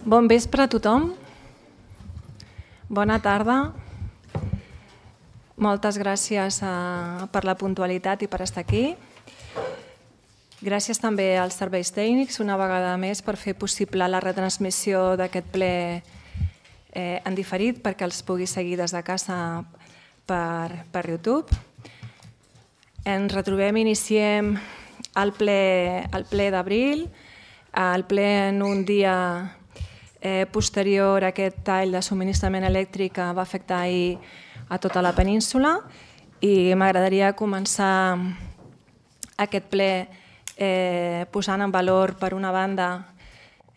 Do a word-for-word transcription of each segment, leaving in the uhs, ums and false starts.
Bon vespre a tothom. Bona tarda. Moltes gràcies per la puntualitat i per estar aquí. Gràcies també als serveis tècnics una vegada més per fer possible la retransmissió d'aquest ple en diferit perquè els pugui seguir des de casa per YouTube. Ens retrobem i iniciem el ple d'abril, el ple en un dia posterior a aquest tall de subministrament elèctric que va afectar ahir a tota la península, i m'agradaria començar aquest ple posant en valor, per una banda,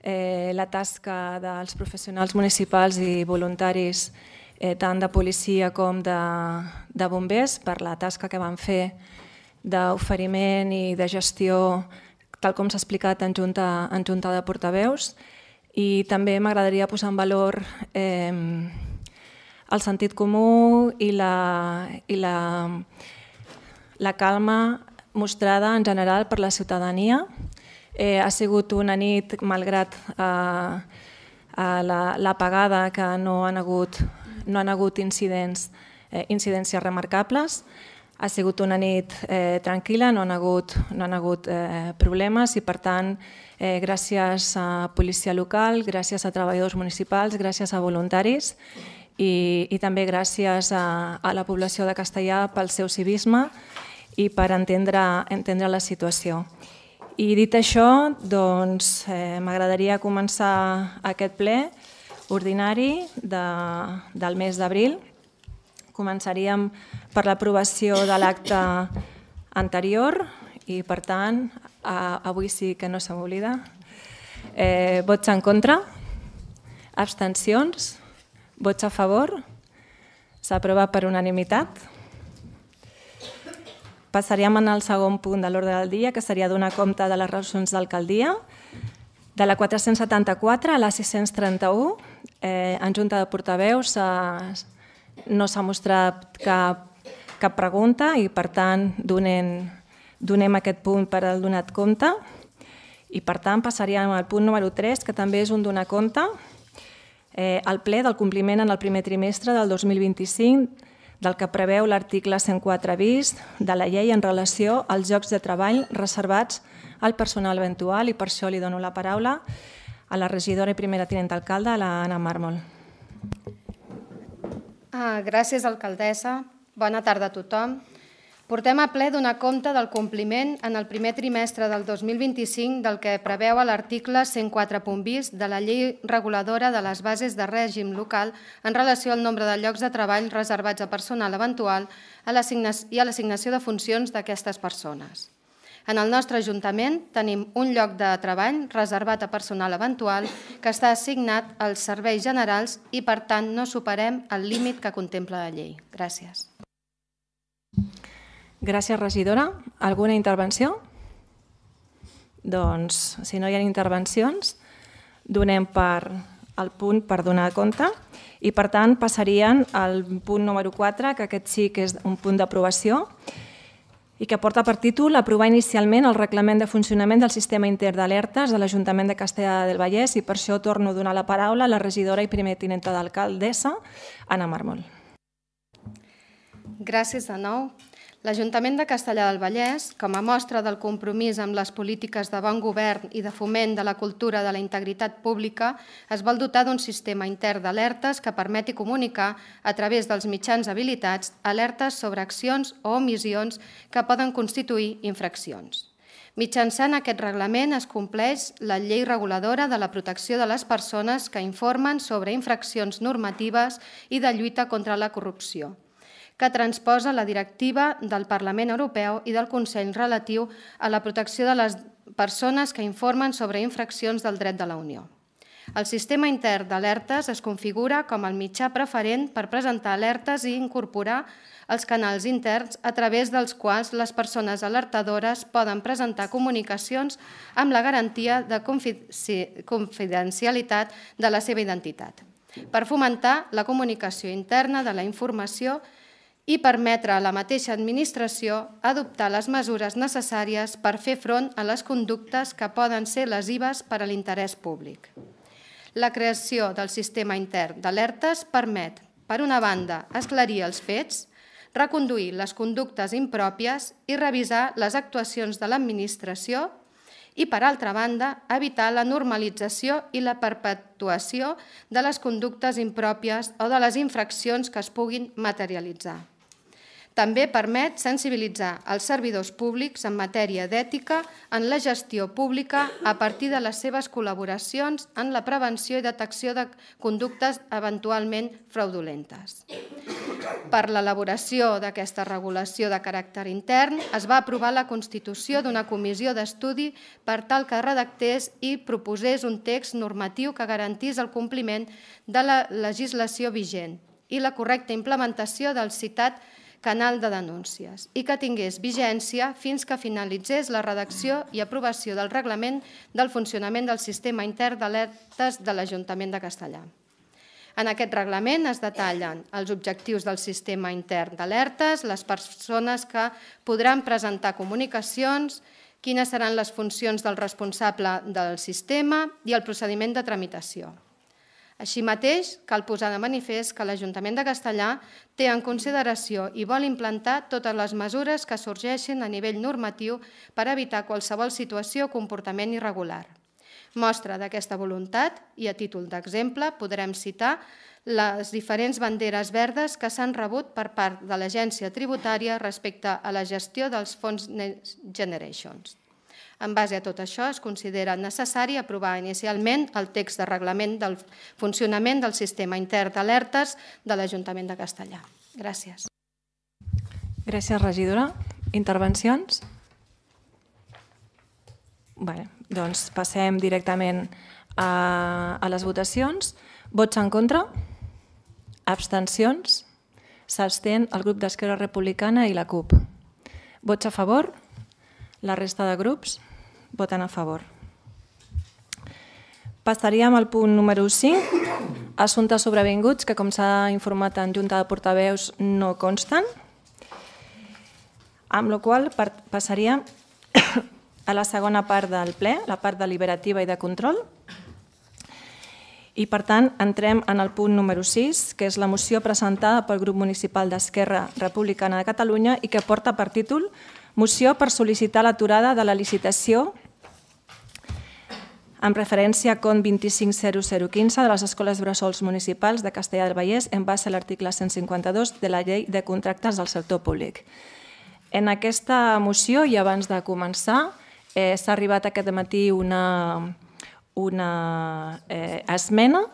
la tasca dels professionals municipals i voluntaris, tant de policia com de bombers, per la tasca que van fer d'oferiment i de gestió, tal com s'ha explicat en junta de portaveus. I també m'agradaria posar en valor el sentit comú i la calma mostrada en general per la ciutadania. Ha sigut una nit, malgrat l'apagada, que no han hagut incidències remarcables. Ha sigut una nit tranquil·la, no han hagut problemes i, per tant, gràcies a policia local, gràcies a treballadors municipals, gràcies a voluntaris i també gràcies a la població de Castellar pel seu civisme i per entendre la situació. I dit això, doncs m'agradaria començar aquest ple ordinari del mes d'abril. Començaríem per l'aprovació de l'acte anterior i, per tant, avui sí que no se m'oblida. Vots en contra? Abstencions? Vots a favor? S'aprova per unanimitat. Passaríem al segon punt de l'ordre del dia, que seria donar compte de les resolucions d'alcaldia. De la quatre-cents setanta-quatre a la sis-cents trenta-u, en junta de portaveus no s'ha mostrat cap pregunta i, per tant, donem aquest punt per al donat compte. I, per tant, passaríem al punt número tres, que també és un donar compte, el ple del compliment en el primer trimestre del dos mil vint-i-cinc del que preveu l'article cent quatre bis de la llei en relació als llocs de treball reservats al personal eventual, i per això li dono la paraula a la regidora i primera tinent d'alcalde, l'Anna Mármol. Gràcies, alcaldessa. Bona tarda a tothom. Portem a ple donar compte del compliment en el primer trimestre del dos mil vint-i-cinc del que preveu l'article cent quatre bis de la llei reguladora de les bases de règim local en relació al nombre de llocs de treball reservats a personal eventual i a l'assignació de funcions d'aquestes persones. En el nostre Ajuntament tenim un lloc de treball reservat a personal eventual que està assignat als serveis generals i, per tant, no superem el límit que contempla la llei. Gràcies. Gràcies, regidora. Alguna intervenció? Doncs, si no hi ha intervencions, donem per el punt per donar compte i, per tant, passarien al punt número quatre, que aquest sí que és un punt d'aprovació, i que porta per títol aprovar inicialment el reglament de funcionament del sistema intern d'alertes de l'Ajuntament de Castellar del Vallès, i per això torno a donar la paraula a la regidora i primera tinenta d'alcaldessa, Anna Mármol. Gràcies de nou. L'Ajuntament de Castellar del Vallès, com a mostra del compromís amb les polítiques de bon govern i de foment de la cultura de la integritat pública, es vol dotar d'un sistema intern d'alertes que permeti comunicar, a través dels mitjans habilitats, alertes sobre accions o omissions que poden constituir infraccions. Mitjançant aquest reglament es compleix la llei reguladora de la protecció de les persones que informen sobre infraccions normatives i de lluita contra la corrupció, que transposa la directiva del Parlament Europeu i del Consell relatiu a la protecció de les persones que informen sobre infraccions del dret de la Unió. El sistema intern d'alertes es configura com el mitjà preferent per presentar alertes i incorporar els canals interns a través dels quals les persones alertadores poden presentar comunicacions amb la garantia de confidencialitat de la seva identitat, per fomentar la comunicació interna de la informació i permetre a la mateixa administració adoptar les mesures necessàries per fer front a les conductes que poden ser lesives per a l'interès públic. La creació del sistema intern d'alertes permet, per una banda, esclarir els fets, reconduir les conductes impròpies i revisar les actuacions de l'administració i, per altra banda, evitar la normalització i la perpetuació de les conductes impròpies o de les infraccions que es puguin materialitzar. També permet sensibilitzar els servidors públics en matèria d'ètica en la gestió pública a partir de les seves col·laboracions en la prevenció i detecció de conductes eventualment fraudulentes. Per l'elaboració d'aquesta regulació de caràcter intern es va aprovar la constitució d'una comissió d'estudi per tal que redactés i proposés un text normatiu que garantís el compliment de la legislació vigent i la correcta implementació del citat canal de denúncies i que tingués vigència fins que finalitzés la redacció i aprovació del reglament del funcionament del sistema intern d'alertes de l'Ajuntament de Castellar. En aquest reglament es detallen els objectius del sistema intern d'alertes, les persones que podran presentar comunicacions, quines seran les funcions del responsable del sistema i el procediment de tramitació. Així mateix, cal posar de manifest que l'Ajuntament de Castellar té en consideració i vol implantar totes les mesures que sorgeixin a nivell normatiu per evitar qualsevol situació o comportament irregular. Mostra d'aquesta voluntat, i a títol d'exemple, podrem citar les diferents banderes verdes que s'han rebut per part de l'Agència Tributària respecte a la gestió dels fons Next Generation. En base a tot això, es considera necessari aprovar inicialment el text de reglament del funcionament del sistema intern d'alertes de l'Ajuntament de Castellar. Gràcies. Gràcies, regidora. Intervencions? Bé, doncs passem directament a, a les votacions. Vots en contra? Abstencions? S'abstén el grup d'Esquerra Republicana i la CUP. Vots a favor? La resta de grups voten a favor. Passaríem al punt número cinc, assumptes sobrevinguts que, com s'ha informat en Junta de Portaveus, no consten, amb la qual cosa passaríem a la segona part del ple, la part deliberativa i de control. I, per tant, entrem en el punt número sis, que és la moció presentada pel grup municipal d'Esquerra Republicana de Catalunya i que porta per títol Moció per sol·licitar l'aturada de la licitació amb referència a C O N vint-i-cinc zero zero quinze de les escoles bressols municipals de Castellar del Vallès en base a l'article cent cinquanta-dos de la Llei de Contractes del Sector Públic. En aquesta moció, i abans de començar, eh, s'ha arribat aquest matí una, una eh, esmena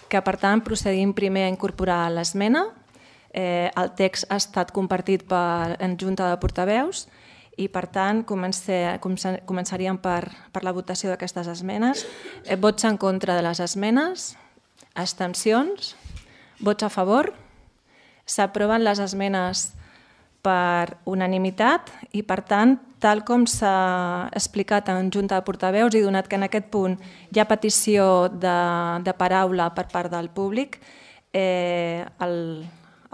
que, per tant, procedim primer a incorporar l'esmena. Eh, el text ha estat compartit per, en Junta de Portaveus i, per tant, comencé, començaríem per, per la votació d'aquestes esmenes. Eh, vots en contra de les esmenes, abstencions, vots a favor. S'aproven les esmenes per unanimitat i, per tant, tal com s'ha explicat en Junta de Portaveus i donat que en aquest punt hi ha petició de, de paraula per part del públic, eh,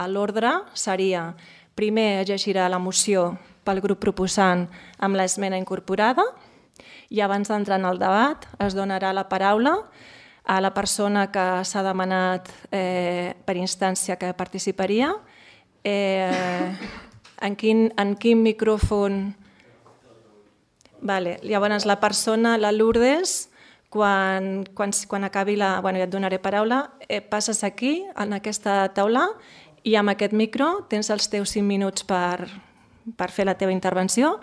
l'ordre seria primer es llegirà la moció pel grup proposant amb l'esmena incorporada i abans d'entrar en el debat es donarà la paraula a la persona que s'ha demanat eh, per instància que participaria. Eh, en, quin, en quin micròfon? Vale. Llavors la persona, la Lourdes, quan, quan, quan acabi la... Bueno, ja et donaré paraula, eh, passes aquí, en aquesta taula, i amb aquest micro tens els teus cinc minuts per, per fer la teva intervenció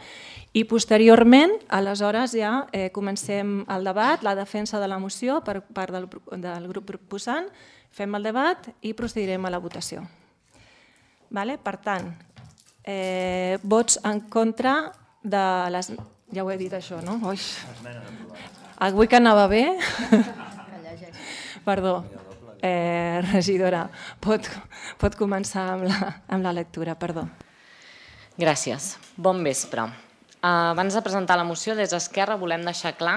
i posteriorment, aleshores ja eh, comencem el debat, la defensa de la moció per part del, del grup proposant, fem el debat i procedirem a la votació. Vale? Per tant, eh, vots en contra de les... Ja ho he dit això, no? Ui. Avui que anava bé... Perdó. Eh, regidora, pot, pot començar amb la, amb la lectura, perdó. Gràcies. Bon vespre. Abans de presentar la moció, des d'Esquerra volem deixar clar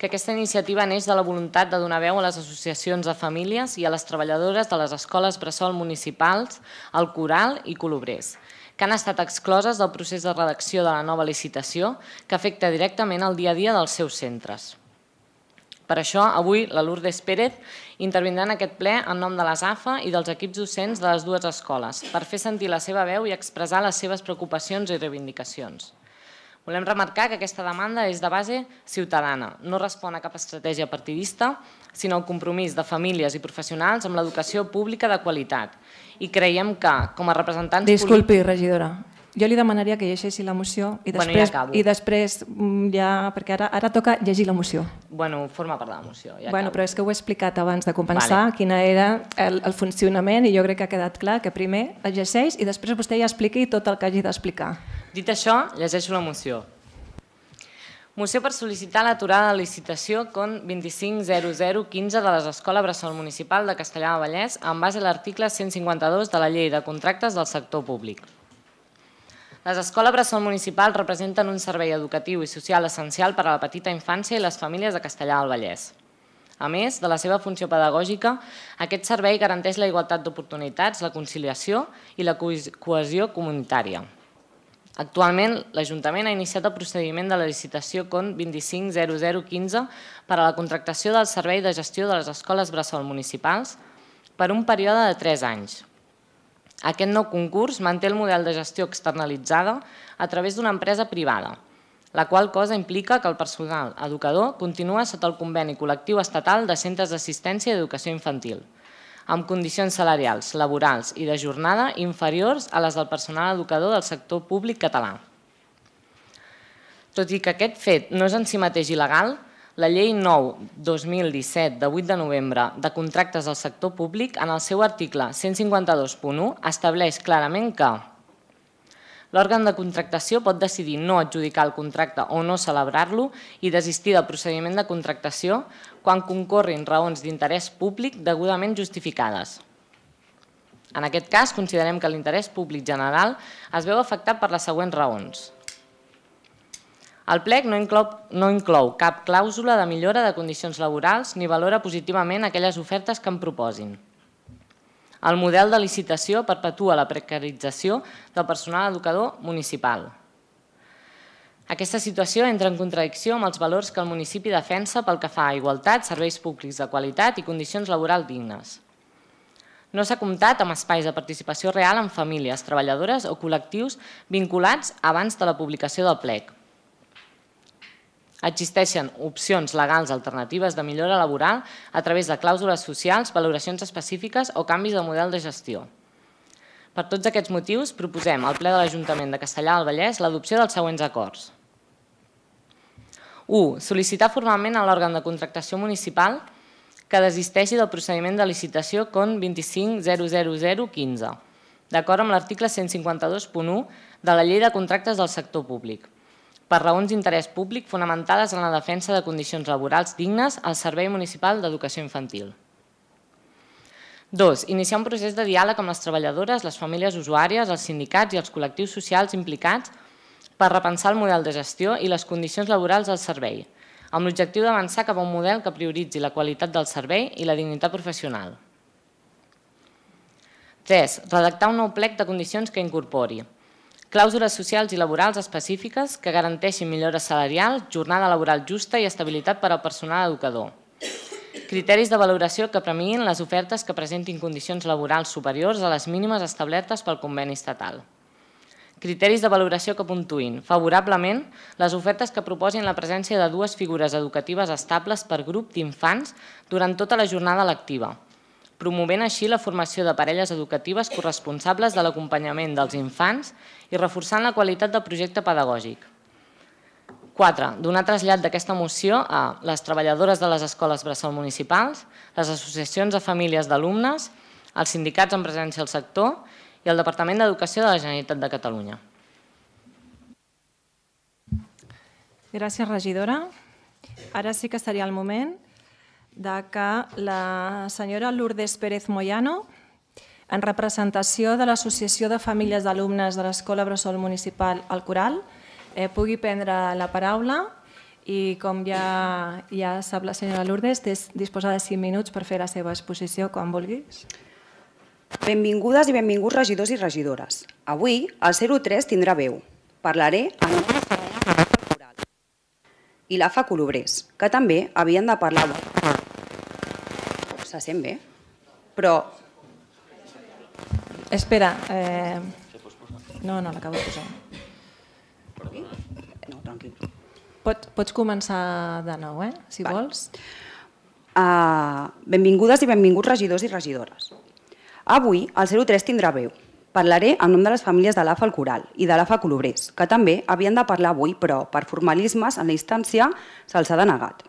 que aquesta iniciativa neix de la voluntat de donar veu a les associacions de famílies i a les treballadores de les escoles bressol municipals, el Coral i Colobrers, que han estat excloses del procés de redacció de la nova licitació que afecta directament el dia a dia dels seus centres. Per això, avui, la Lourdes Pérez intervindrà en aquest ple en nom de les A F A i dels equips docents de les dues escoles per fer sentir la seva veu i expressar les seves preocupacions i reivindicacions. Volem remarcar que aquesta demanda és de base ciutadana, no respon a cap estratègia partidista, sinó al compromís de famílies i professionals amb l'educació pública de qualitat. I creiem que, com a representants polítics... Disculpi, regidora. Jo li demanaria que llegeixi la moció i després, bueno, ja acabo. I després ja, perquè ara, ara toca llegir la moció. Bueno, forma part de la moció. Ja bueno, acabo. però és que ho he explicat abans de començar, vale. Quina era el, el funcionament, i jo crec que ha quedat clar que primer es llegeix i després vostè ja expliqui tot el que hagi d'explicar. Dit això, llegeixo la moció. Moció per sol·licitar l'aturada de licitació C O N vint-i-cinc zero zero quinze de l'Escola Bressol Municipal de Castellar del Vallès en base a l'article cent cinquanta-dos de la Llei de Contractes del Sector Públic. Les escoles bressol municipals representen un servei educatiu i social essencial per a la petita infància i les famílies de Castellar del Vallès. A més de la seva funció pedagògica, aquest servei garanteix la igualtat d'oportunitats, la conciliació i la cohesió comunitària. Actualment, l'Ajuntament ha iniciat el procediment de la licitació C O N vint-i-cinc zero zero quinze per a la contractació del servei de gestió de les escoles bressol municipals per un període de tres anys. Aquest nou concurs manté el model de gestió externalitzada a través d'una empresa privada, la qual cosa implica que el personal educador continua sota el conveni col·lectiu estatal de centres d'assistència i educació infantil, amb condicions salarials, laborals i de jornada inferiors a les del personal educador del sector públic català. Tot i que aquest fet no és en si mateix il·legal, la Llei nou dos mil disset de vuit de novembre de contractes del sector públic, en el seu article cent cinquanta-dos punt u, estableix clarament que l'òrgan de contractació pot decidir no adjudicar el contracte o no celebrar-lo i desistir del procediment de contractació quan concorrin raons d'interès públic degudament justificades. En aquest cas, considerem que l'interès públic general es veu afectat per les següents raons. El plec no inclou, no inclou cap clàusula de millora de condicions laborals ni valora positivament aquelles ofertes que en proposin. El model de licitació perpetua la precarització del personal educador municipal. Aquesta situació entra en contradicció amb els valors que el municipi defensa pel que fa a igualtat, serveis públics de qualitat i condicions laborals dignes. No s'ha comptat amb espais de participació real en famílies, treballadores o col·lectius vinculats abans de la publicació del plec. Existeixen opcions legals alternatives de millora laboral a través de clàusules socials, valoracions específiques o canvis de model de gestió. Per tots aquests motius, proposem al ple de l'Ajuntament de Castellar del Vallès l'adopció dels següents acords. u. Sol·licitar formalment a l'òrgan de contractació municipal que desisteixi del procediment de licitació C O N vint-i-cinc zero zero zero quinze, d'acord amb l'article cent cinquanta-dos punt u de la Llei de Contractes del Sector Públic, per raons d'interès públic fonamentades en la defensa de condicions laborals dignes al Servei Municipal d'Educació Infantil. dos. Iniciar un procés de diàleg amb les treballadores, les famílies usuàries, els sindicats i els col·lectius socials implicats per repensar el model de gestió i les condicions laborals del servei, amb l'objectiu d'avançar cap a un model que prioritzi la qualitat del servei i la dignitat professional. tres. Redactar un nou plec de condicions que incorpori clàusules socials i laborals específiques que garanteixin millores salarials, jornada laboral justa i estabilitat per al personal educador. Criteris de valoració que premiïn les ofertes que presentin condicions laborals superiors a les mínimes establertes pel conveni estatal. Criteris de valoració que puntuïn favorablement les ofertes que proposin la presència de dues figures educatives estables per grup d'infants durant tota la jornada lectiva, promovent així la formació de parelles educatives corresponsables de l'acompanyament dels infants i reforçant la qualitat del projecte pedagògic. quatre. Donar trasllat d'aquesta moció a les treballadores de les escoles bressol municipals, les associacions de famílies d'alumnes, els sindicats en presència al sector i el Departament d'Educació de la Generalitat de Catalunya. Gràcies, regidora. Ara sí que seria el moment de que la senyora Lourdes Pérez Moyano, en representació de l'Associació de Famílies d'Alumnes de l'Escola Bressol Municipal El Coral, eh, pugui prendre la paraula i, com ja, ja sap la senyora Lourdes, disposa de cinc minuts per fer la seva exposició quan vulguis. Benvingudes i benvinguts regidors i regidores. Avui el zero tres tindrà veu. Parlaré en nom del Coral. i l'A F A Colobrers, que també havien de parlar... Se sent bé? Però... Espera. Eh... No, no, l'acabo de posar. No, tranquil. Pots, pots començar de nou, eh? Si Val. vols. Uh, benvingudes i benvinguts regidors i regidores. Avui el zero tres tindrà veu. Parlaré en nom de les famílies de l'A F A El Coral i de l'A F A Colobrers, que també havien de parlar avui, però per formalismes en la instància se'ls ha denegat.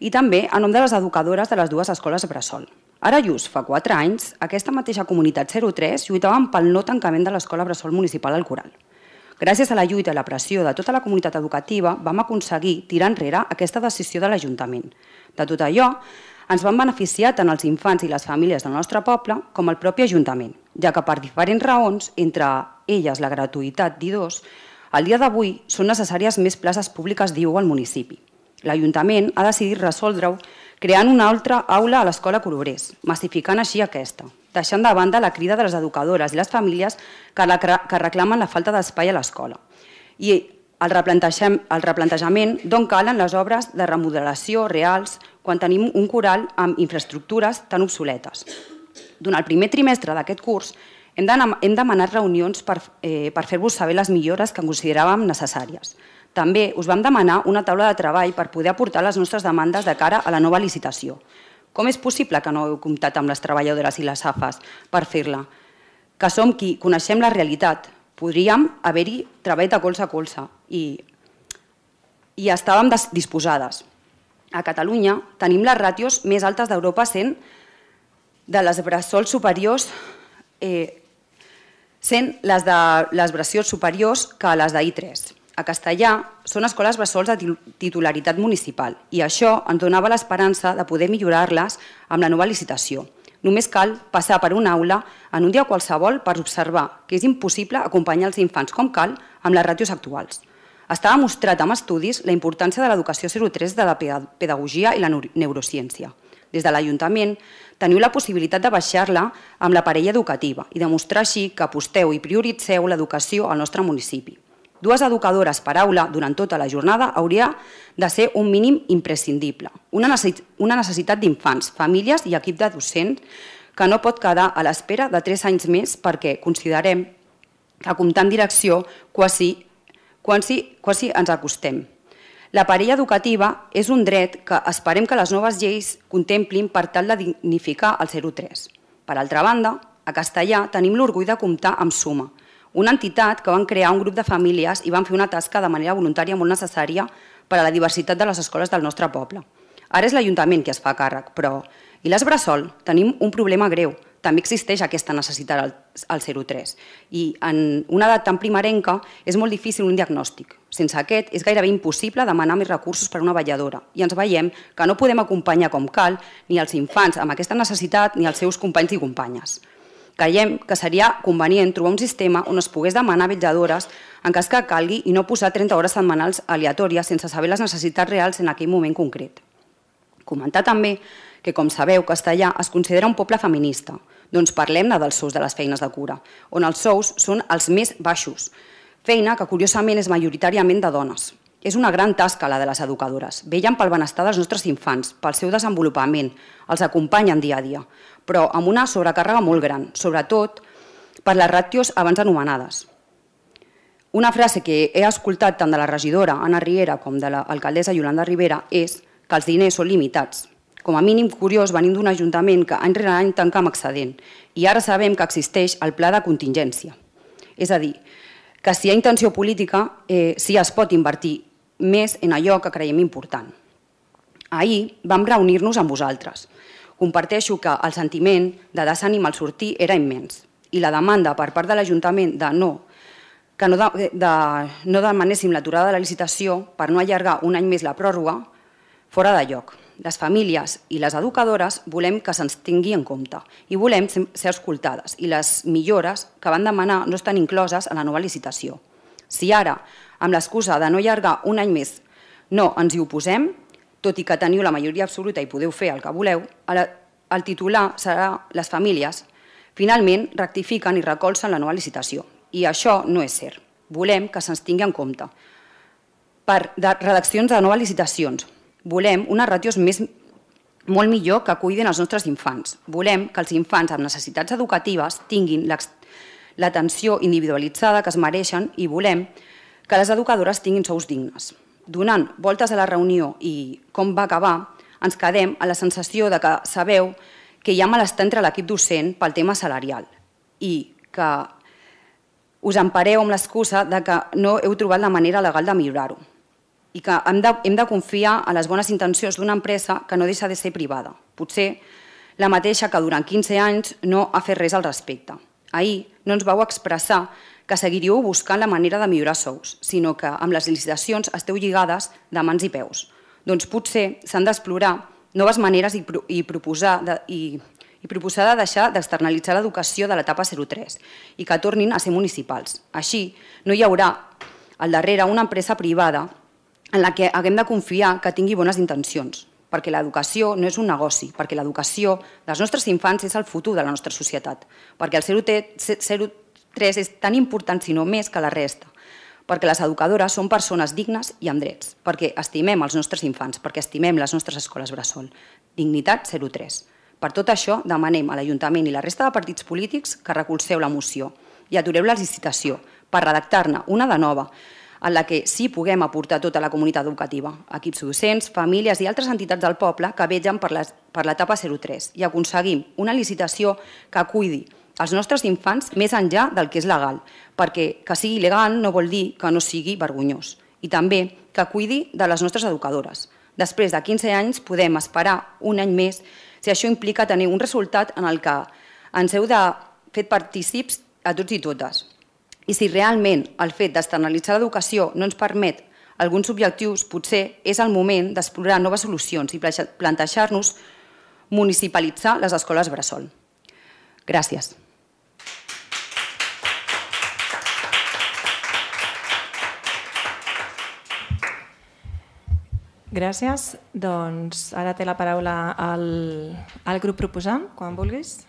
I també en nom de les educadores de les dues escoles bressol. Ara just fa quatre anys, aquesta mateixa comunitat zero tres lluitaven pel no tancament de l'escola bressol municipal al Coral. Gràcies a la lluita i la pressió de tota la comunitat educativa, vam aconseguir tirar enrere aquesta decisió de l'Ajuntament. De tot allò, ens van beneficiar tant els infants i les famílies del nostre poble com el propi Ajuntament, ja que per diferents raons, entre elles la gratuïtat d'I dos, al dia d'avui són necessàries més places públiques d'I U al municipi. L'Ajuntament ha decidit resoldre-ho creant una altra aula a l'escola Colobrers, massificant així aquesta, deixant de banda la crida de les educadores i les famílies que reclamen la falta d'espai a l'escola. I el replantejament d'on calen les obres de remodelació reals quan tenim un coral amb infraestructures tan obsoletes. Durant el primer trimestre d'aquest curs hem demanat reunions per fer-vos saber les millores que consideràvem necessàries. També us vam demanar una taula de treball per poder aportar les nostres demandes de cara a la nova licitació. Com és possible que no heu comptat amb les treballadores i les A F As per fer-la? Que som qui coneixem la realitat. Podríem haver-hi treballat de colze a colze i, i estàvem disposades. A Catalunya tenim les ràtios més altes d'Europa sent de les bressols superiors eh, sent les de les bressols superiors que les d'I tres. A Castellà són escoles bressols de titularitat municipal i això ens donava l'esperança de poder millorar-les amb la nova licitació. Només cal passar per una aula en un dia qualsevol per observar que és impossible acompanyar els infants com cal amb les ràtios actuals. Està demostrat amb estudis la importància de l'educació zero tres de la pedagogia i la neurociència. Des de l'Ajuntament teniu la possibilitat de baixar-la amb la parella educativa i demostrar així que aposteu i prioritzeu l'educació al nostre municipi. Dues educadores per aula durant tota la jornada hauria de ser un mínim imprescindible. Una necessitat d'infants, famílies i equip de docents que no pot quedar a l'espera de tres anys més perquè considerem que comptant direcció quasi, quasi, quasi ens acostem. La parella educativa és un dret que esperem que les noves lleis contemplin per tal de dignificar el zero tres. Per altra banda, a Castellà tenim l'orgull de comptar amb Suma, una entitat que van crear un grup de famílies i van fer una tasca de manera voluntària molt necessària per a la diversitat de les escoles del nostre poble. Ara és l'Ajuntament qui es fa càrrec, però i les bressol tenim un problema greu. També existeix aquesta necessitat al zero tres i en una edat tan primerenca és molt difícil un diagnòstic. Sense aquest és gairebé impossible demanar més recursos per a una vetlladora i ens veiem que no podem acompanyar com cal ni els infants amb aquesta necessitat ni els seus companys i companyes. Creiem que seria convenient trobar un sistema on es pogués demanar vetlladores en cas que calgui i no posar trenta hores setmanals aleatòries sense saber les necessitats reals en aquell moment concret. Comentar també que, com sabeu, Castellà es considera un poble feminista. Doncs parlem-ne dels sous de les feines de cura, on els sous són els més baixos, feina que curiosament és majoritàriament de dones. És una gran tasca la de les educadores. Vellen pel benestar dels nostres infants, pel seu desenvolupament, els acompanyen dia a dia, però amb una sobrecàrrega molt gran, sobretot per les ràtios abans anomenades. Una frase que he escoltat tant de la regidora Anna Riera com de l'alcaldessa Yolanda Rivera és que els diners són limitats. Com a mínim curiós venim d'un ajuntament que any rere any tanca amb excedent i ara sabem que existeix el pla de contingència. És a dir, que si hi ha intenció política, eh, sí es pot invertir més en allò que creiem important. Ahir vam reunir-nos amb vosaltres. Comparteixo que el sentiment de desànim al sortir era immens i la demanda per part de l'Ajuntament de no que no, de, de, no demanéssim l'aturada de la licitació per no allargar un any més la pròrroga fora de lloc. Les famílies i les educadores volem que se'ns tingui en compte i volem ser escoltades i les millores que van demanar no estan incloses en la nova licitació. Si ara, amb l'excusa de no allargar un any més, no ens hi oposem, tot i que teniu la majoria absoluta i podeu fer el que voleu, el titular serà les famílies. Finalment, rectifiquen i recolzen la nova licitació. I això no és cert. Volem que se'ns tingui en compte. per redaccions de noves licitacions. Volem unes ràtios més, molt millor que cuidin els nostres infants. Volem que els infants amb necessitats educatives tinguin l'atenció individualitzada que es mereixen i volem que les educadores tinguin sous dignes. Donant voltes a la reunió i com va acabar, ens quedem a la sensació de que sabeu que hi ha malestar entre l'equip docent pel tema salarial i que us empareu amb l'excusa que no heu trobat la manera legal de millorar-ho i que hem de, hem de confiar en les bones intencions d'una empresa que no deixa de ser privada. Potser la mateixa que durant quinze anys no ha fet res al respecte. Ahir no ens vau expressar que seguiríeu buscant la manera de millorar sous, sinó que amb les licitacions esteu lligades de mans i peus. Doncs potser s'han d'explorar noves maneres i, i, proposar de, i, i proposar de deixar d'externalitzar l'educació de l'etapa zero tres i que tornin a ser municipals. Així no hi haurà al darrere una empresa privada en la que haguem de confiar que tingui bones intencions, perquè l'educació no és un negoci, perquè l'educació dels nostres infants és el futur de la nostra societat, perquè el zero tres és tan important, si no més, que la resta, perquè les educadores són persones dignes i amb drets, perquè estimem els nostres infants, perquè estimem les nostres escoles bressol. Dignitat zero tres. Per tot això, demanem a l'Ajuntament i la resta de partits polítics que recolzeu la moció i atureu la licitació per redactar-ne una de nova, en la que sí puguem aportar tota la comunitat educativa, equips docents, famílies i altres entitats del poble que vegen per l'etapa zero tres i aconseguim una licitació que cuidi els nostres infants més enllà del que és legal, perquè que sigui legal no vol dir que no sigui vergonyós, i també que cuidi de les nostres educadores. Després de quinze anys podem esperar un any més si això implica tenir un resultat en el que ens heu de fer partícips a tots i totes. I si realment el fet d'externalitzar l'educació no ens permet alguns objectius, potser és el moment d'explorar noves solucions i plantejar-nos municipalitzar les escoles bressol. Gràcies. Gràcies. Doncs ara té la paraula el, el grup proposant, quan vulguis.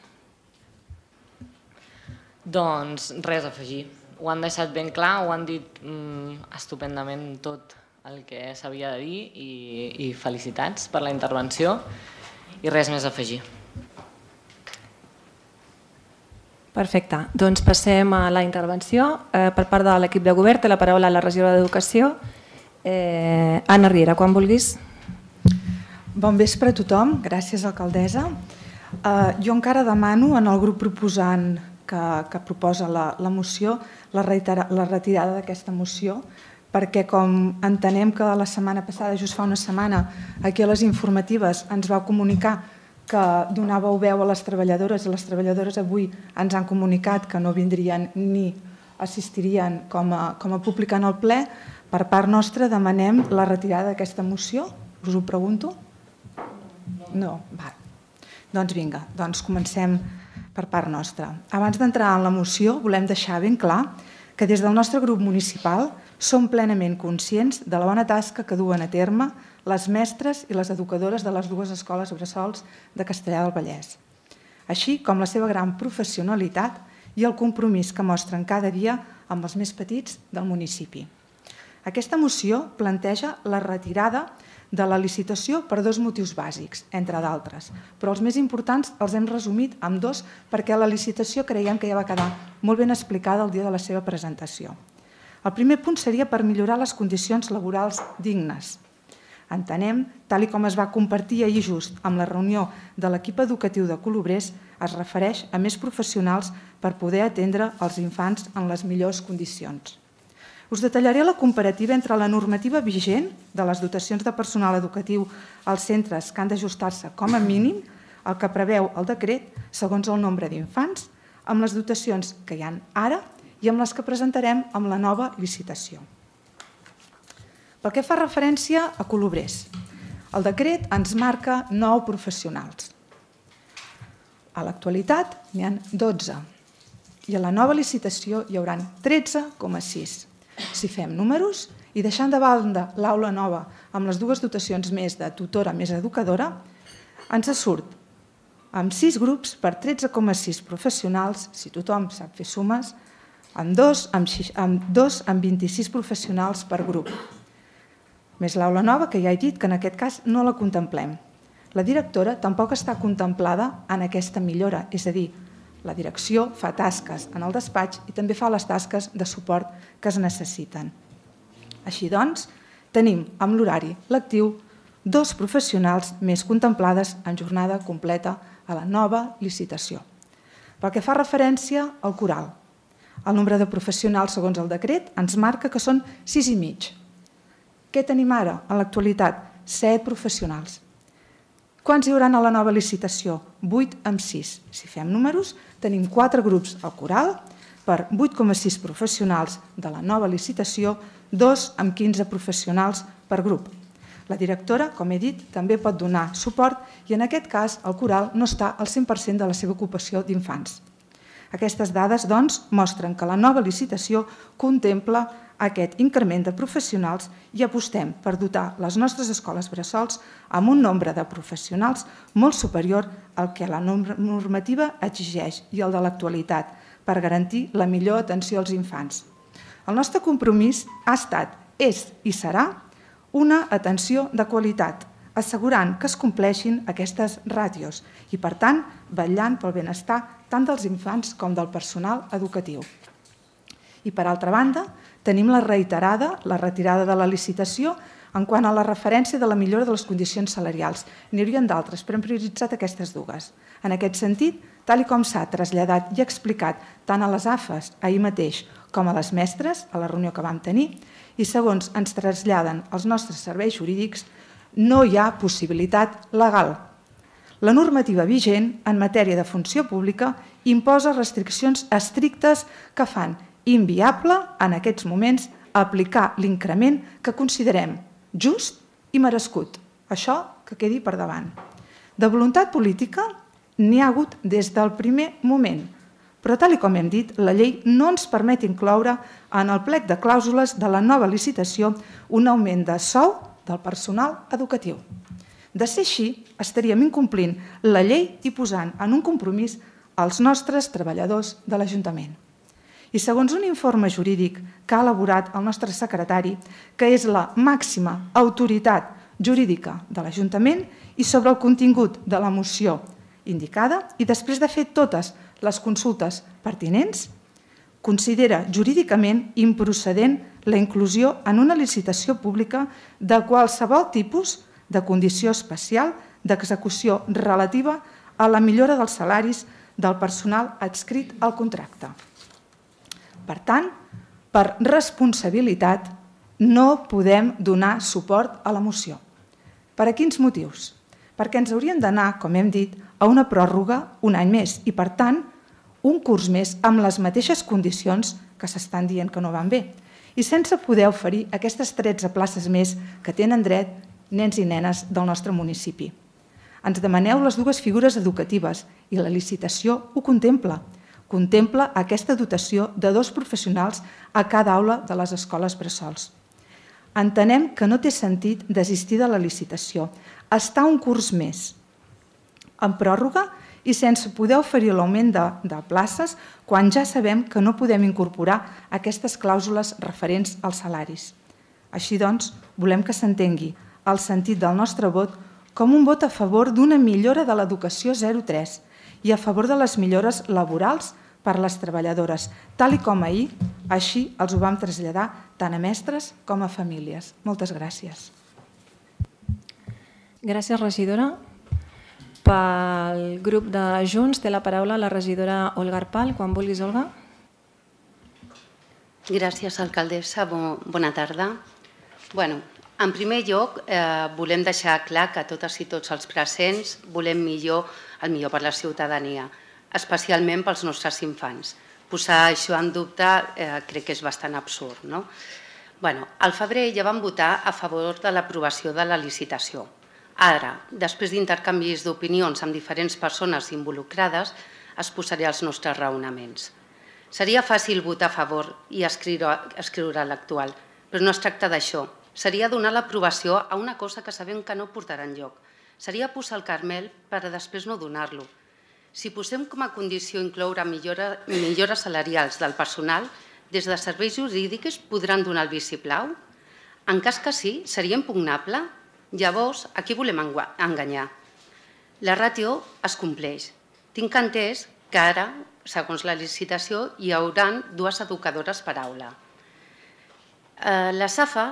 Doncs res a afegir. Ho han deixat ben clar, ho han dit mm, estupendament tot el que s'havia de dir i, i felicitats per la intervenció i res més a afegir. Perfecte. Doncs passem a la intervenció. Eh, per part de l'equip de govern té la paraula la regidora d'Educació. Eh, Anna Riera, quan vulguis. Bon vespre a tothom. Gràcies, alcaldessa. Eh, jo encara demano en el grup proposant que, que proposa la, la moció la, reitera, la retirada d'aquesta moció, perquè com entenem que la setmana passada, just fa una setmana, aquí a les informatives ens vau comunicar que donàveu veu a les treballadores i les treballadores avui ens han comunicat que no vindrien ni assistirien com a, com a públic en el ple, per part nostra demanem la retirada d'aquesta moció. Us ho pregunto? No? Va. Doncs vinga, doncs comencem per part nostra. Abans d'entrar en la moció, volem deixar ben clar que des del nostre grup municipal som plenament conscients de la bona tasca que duen a terme les mestres i les educadores de les dues escoles bressols de Castellar del Vallès, així com la seva gran professionalitat i el compromís que mostren cada dia amb els més petits del municipi. Aquesta moció planteja la retirada de la licitació per dos motius bàsics, entre d'altres, però els més importants els hem resumit amb dos perquè la licitació creiem que ja va quedar molt ben explicada el dia de la seva presentació. El primer punt seria per millorar les condicions laborals dignes. Entenem, tal com es va compartir ahir just amb la reunió de l'equip educatiu de Colobrers, es refereix a més professionals per poder atendre els infants en les millors condicions. Us detallaré la comparativa entre la normativa vigent de les dotacions de personal educatiu als centres que han d'ajustar-se com a mínim el que preveu el decret segons el nombre d'infants, amb les dotacions que hi ha ara i amb les que presentarem amb la nova licitació. Pel que fa referència a Colobrers, el decret ens marca nou professionals. A l'actualitat n'hi ha dotze i a la nova licitació hi haurà tretze coma sis. Si fem números i deixant de banda l'aula nova amb les dues dotacions més de tutora més educadora, ens surt amb sis grups per tretze coma sis professionals, si tothom sap fer sumes, amb dos amb vint-i-sis professionals per grup. més l'aula nova, que ja he dit que en aquest cas no la contemplem. La directora tampoc està contemplada en aquesta millora, és a dir, la direcció fa tasques en el despatx i també fa les tasques de suport que es necessiten. Així doncs, tenim amb l'horari lectiu dos professionals més contemplades en jornada completa a la nova licitació. Pel que fa referència al coral, el nombre de professionals segons el decret ens marca que són sis i mig. Què tenim ara en l'actualitat? Set professionals. Quants hi haurà a la nova licitació? vuit amb sis. Si fem números, tenim quatre grups al coral per vuit coma sis professionals de la nova licitació, dos amb quinze professionals per grup. La directora, com he dit, també pot donar suport i en aquest cas el coral no està al cent per cent de la seva ocupació d'infants. Aquestes dades, doncs, mostren que la nova licitació contempla aquest increment de professionals i apostem per dotar les nostres escoles bressols amb un nombre de professionals molt superior al que la normativa exigeix i el de l'actualitat per garantir la millor atenció als infants. El nostre compromís ha estat, és i serà una atenció de qualitat, assegurant que es compleixin aquestes ràtios i, per tant, vetllant pel benestar tant dels infants com del personal educatiu. I, per altra banda, tenim la reiterada, la retirada de la licitació en quant a la referència de la millora de les condicions salarials. N'hi haurien d'altres, però hem prioritzat aquestes dues. En aquest sentit, tal com s'ha traslladat i explicat tant a les A F Es ahir mateix com a les mestres, a la reunió que vam tenir, i segons ens traslladen els nostres serveis jurídics, no hi ha possibilitat legal. La normativa vigent en matèria de funció pública imposa restriccions estrictes que fan inviable en aquests moments aplicar l'increment que considerem just i merescut. Això que quedi per davant. De voluntat política n'hi ha hagut des del primer moment, però tal com hem dit, la llei no ens permet incloure en el plec de clàusules de la nova licitació un augment de sou del personal educatiu. De ser així, estaríem incomplint la llei i posant en un compromís els nostres treballadors de l'Ajuntament. I segons un informe jurídic que ha elaborat el nostre secretari, que és la màxima autoritat jurídica de l'Ajuntament i sobre el contingut de la moció indicada, i després de fer totes les consultes pertinents, considera jurídicament improcedent la inclusió en una licitació pública de qualsevol tipus de condició especial d'execució relativa a la millora dels salaris del personal adscrit al contracte. Per tant, per responsabilitat, no podem donar suport a la moció. Per a quins motius? Perquè ens hauríem d'anar, com hem dit, a una pròrroga un any més i, per tant, un curs més amb les mateixes condicions que s'estan dient que no van bé i sense poder oferir aquestes tretze places més que tenen dret nens i nenes del nostre municipi. Ens demaneu les dues figures educatives i la licitació ho contempla. Contempla aquesta dotació de dos professionals a cada aula de les escoles bressols. Entenem que no té sentit desistir de la licitació, estar un curs més en pròrroga i sense poder oferir l'augment de, de places quan ja sabem que no podem incorporar aquestes clàusules referents als salaris. Així doncs, volem que s'entengui el sentit del nostre vot com un vot a favor d'una millora de l'educació zero tres i a favor de les millores laborals per a les treballadores, tal com ahir, així els ho vam traslladar tant a mestres com a famílies. Moltes gràcies. Gràcies, regidora. Pel grup de Junts té la paraula la regidora Olga Arpal. Quan vulguis, Olga. Gràcies, alcaldessa. Bona tarda. Bueno, en primer lloc, eh, volem deixar clar que totes i tots els presents volem millor, el millor per la ciutadania, especialment pels nostres infants. Posar això en dubte eh, crec que és bastant absurd, no? Bueno, al febrer ja vam votar a favor de l'aprovació de la licitació. Ara, després d'intercanvis d'opinions amb diferents persones involucrades, es posaré els nostres raonaments. Seria fàcil votar a favor i escriure, escriure l'actual, però no es tracta d'això. Seria donar l'aprovació a una cosa que sabem que no portarà enlloc. Seria posar el carmel per a després no donar-lo. Si posem com a condició incloure millora, millores salarials del personal, des de serveis jurídics podran donar el vistiplau? En cas que sí, seria impugnable? Llavors, a qui volem enganyar? La ràtio es compleix. Tinc entès que ara, segons la licitació, hi haurà dues educadores per aula. Les A F A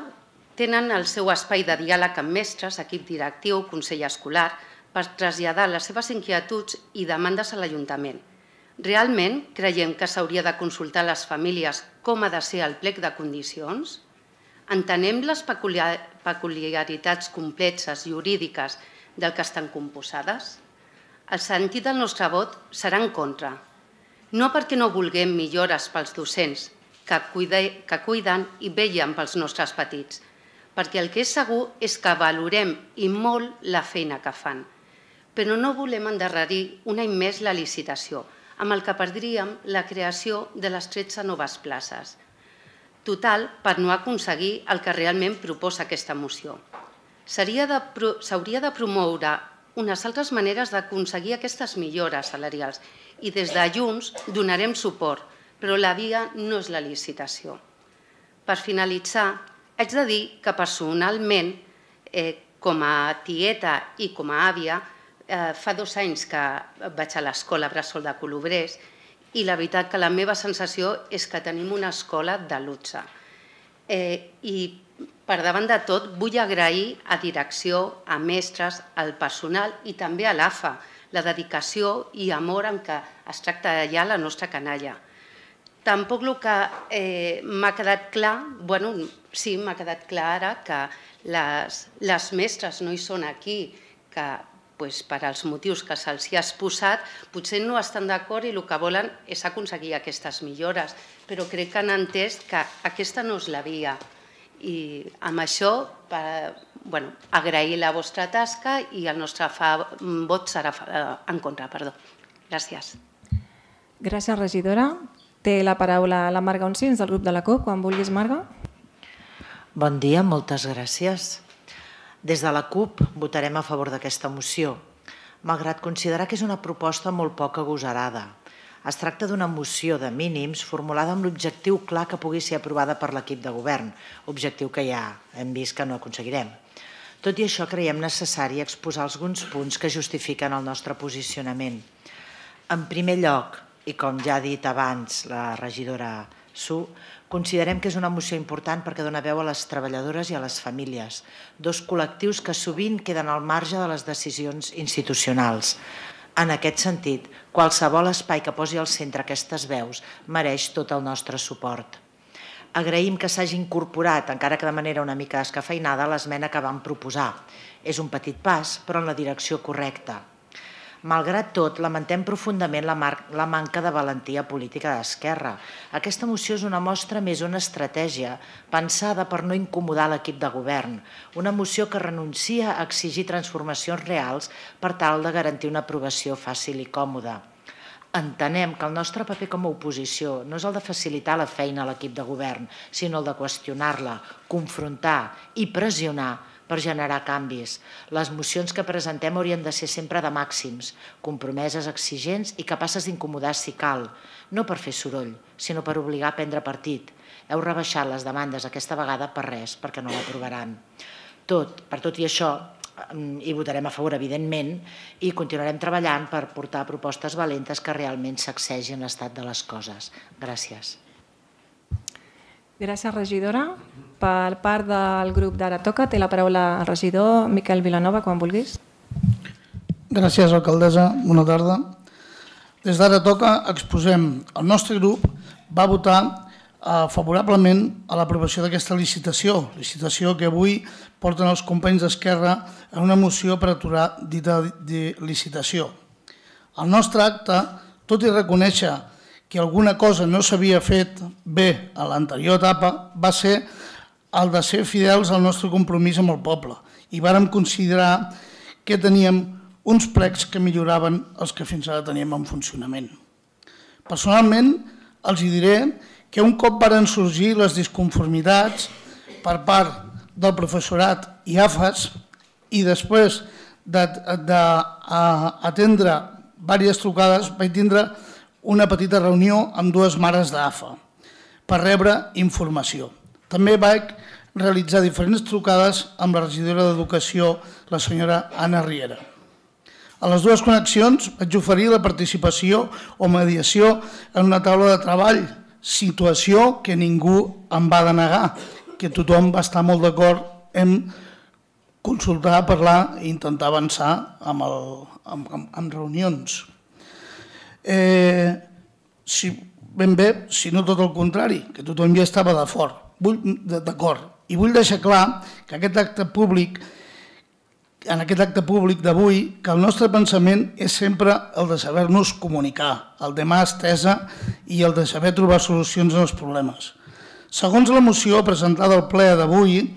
tenen el seu espai de diàleg amb mestres, equip directiu, consell escolar, per traslladar les seves inquietuds i demandes a l'Ajuntament. Realment creiem que s'hauria de consultar a les famílies com ha de ser el plec de condicions? Entenem les peculiaritats complexes jurídiques del que estan composades? El sentit del nostre vot serà en contra. No perquè no vulguem millores pels docents que cuiden i vetllen pels nostres petits, perquè el que és segur és que valorem i molt la feina que fan. Però no volem endarrerir un any més la licitació, amb el que perdríem la creació de les tretze noves places. Total, per no aconseguir el que realment proposa aquesta moció. S'hauria de promoure unes altres maneres d'aconseguir aquestes millores salarials i des de Junts donarem suport, però la via no és la licitació. Per finalitzar, haig de dir que personalment, com a tieta i com a àvia, fa dos anys que vaig a l'escola Bressol de Colobrers i la veritat que la meva sensació és que tenim una escola de luxe. I per davant de tot vull agrair a direcció, a mestres, al personal i també a l'A F A la dedicació i amor en què es tracta allà la nostra canalla. Tampoc el que m'ha quedat clar, bueno, sí, m'ha quedat clar ara que les mestres no hi són aquí, que per als motius que se'ls hi ha exposat, potser no estan d'acord i el que volen és aconseguir aquestes millores, però crec que han entès que aquesta no és la via. I amb això, agrair la vostra tasca i el nostre vot serà en contra. Gràcies. Gràcies, regidora. Té la paraula la Marga Oncins, del grup de la CUP. Quan vulguis, Marga. Bon dia, moltes gràcies. Des de la CUP votarem a favor d'aquesta moció, malgrat considerar que és una proposta molt poc agosarada. Es tracta d'una moció de mínims formulada amb l'objectiu clar que pugui ser aprovada per l'equip de govern, objectiu que ja hem vist que no aconseguirem. Tot i això, creiem necessari exposar alguns punts que justifiquen el nostre posicionament. En primer lloc, i com ja ha dit abans la regidora Su, considerem que és una moció important perquè dona veu a les treballadores i a les famílies, dos col·lectius que sovint queden al marge de les decisions institucionals. En aquest sentit, qualsevol espai que posi al centre aquestes veus mereix tot el nostre suport. Agraïm que s'hagi incorporat, encara que de manera una mica escafeinada, l'esmena que vam proposar. És un petit pas, però en la direcció correcta. Malgrat tot, lamentem profundament la manca de valentia política d'Esquerra. Aquesta moció és una mostra més una estratègia pensada per no incomodar l'equip de govern, una moció que renuncia a exigir transformacions reals per tal de garantir una aprovació fàcil i còmoda. Entenem que el nostre paper com a oposició no és el de facilitar la feina a l'equip de govern, sinó el de qüestionar-la, confrontar i pressionar per generar canvis. Les mocions que presentem haurien de ser sempre de màxims, compromeses, exigents i capaces d'incomodar si cal, no per fer soroll, sinó per obligar a prendre partit. Heu rebaixat les demandes aquesta vegada per res, perquè no l'aprovaran. Tot, per tot i això, hi votarem a favor, evidentment, i continuarem treballant per portar propostes valentes que realment sacsegin l'estat de les coses. Gràcies. Gràcies, regidora. Per part del grup d'Ara Toca té la paraula el regidor Miquel Vilanova, quan vulguis. Gràcies, alcaldessa. Bona tarda. Des d'Ara Toca exposem. El nostre grup va votar favorablement a l'aprovació d'aquesta licitació, licitació que avui porten els companys d'Esquerra en una moció per aturar dita licitació. El nostre acte, tot i reconèixer que alguna cosa no s'havia fet bé a l'anterior etapa, va ser el de ser fidels al nostre compromís amb el poble i vàrem considerar que teníem uns plecs que milloraven els que fins ara teníem en funcionament. Personalment, els diré que un cop varen sorgir les disconformitats per part del professorat i A F As i després d'atendre diverses trucades vaig tindre una petita reunió amb dues mares d'A F A per rebre informació. També vaig realitzar diferents trucades amb la regidora d'Educació, la senyora Anna Riera. A les dues connexions vaig oferir la participació o mediació en una taula de treball, situació que ningú em va denegar, que tothom va estar molt d'acord en consultar, parlar i intentar avançar amb, el, amb, amb, amb reunions. Eh, si, ben bé, si no tot el contrari, que tothom ja estava d'acord. I vull deixar clar que aquest acte públic, en aquest acte públic d'avui, que el nostre pensament és sempre el de saber-nos comunicar, el de mà estesa i el de saber trobar solucions als problemes. Segons la moció presentada al ple d'avui,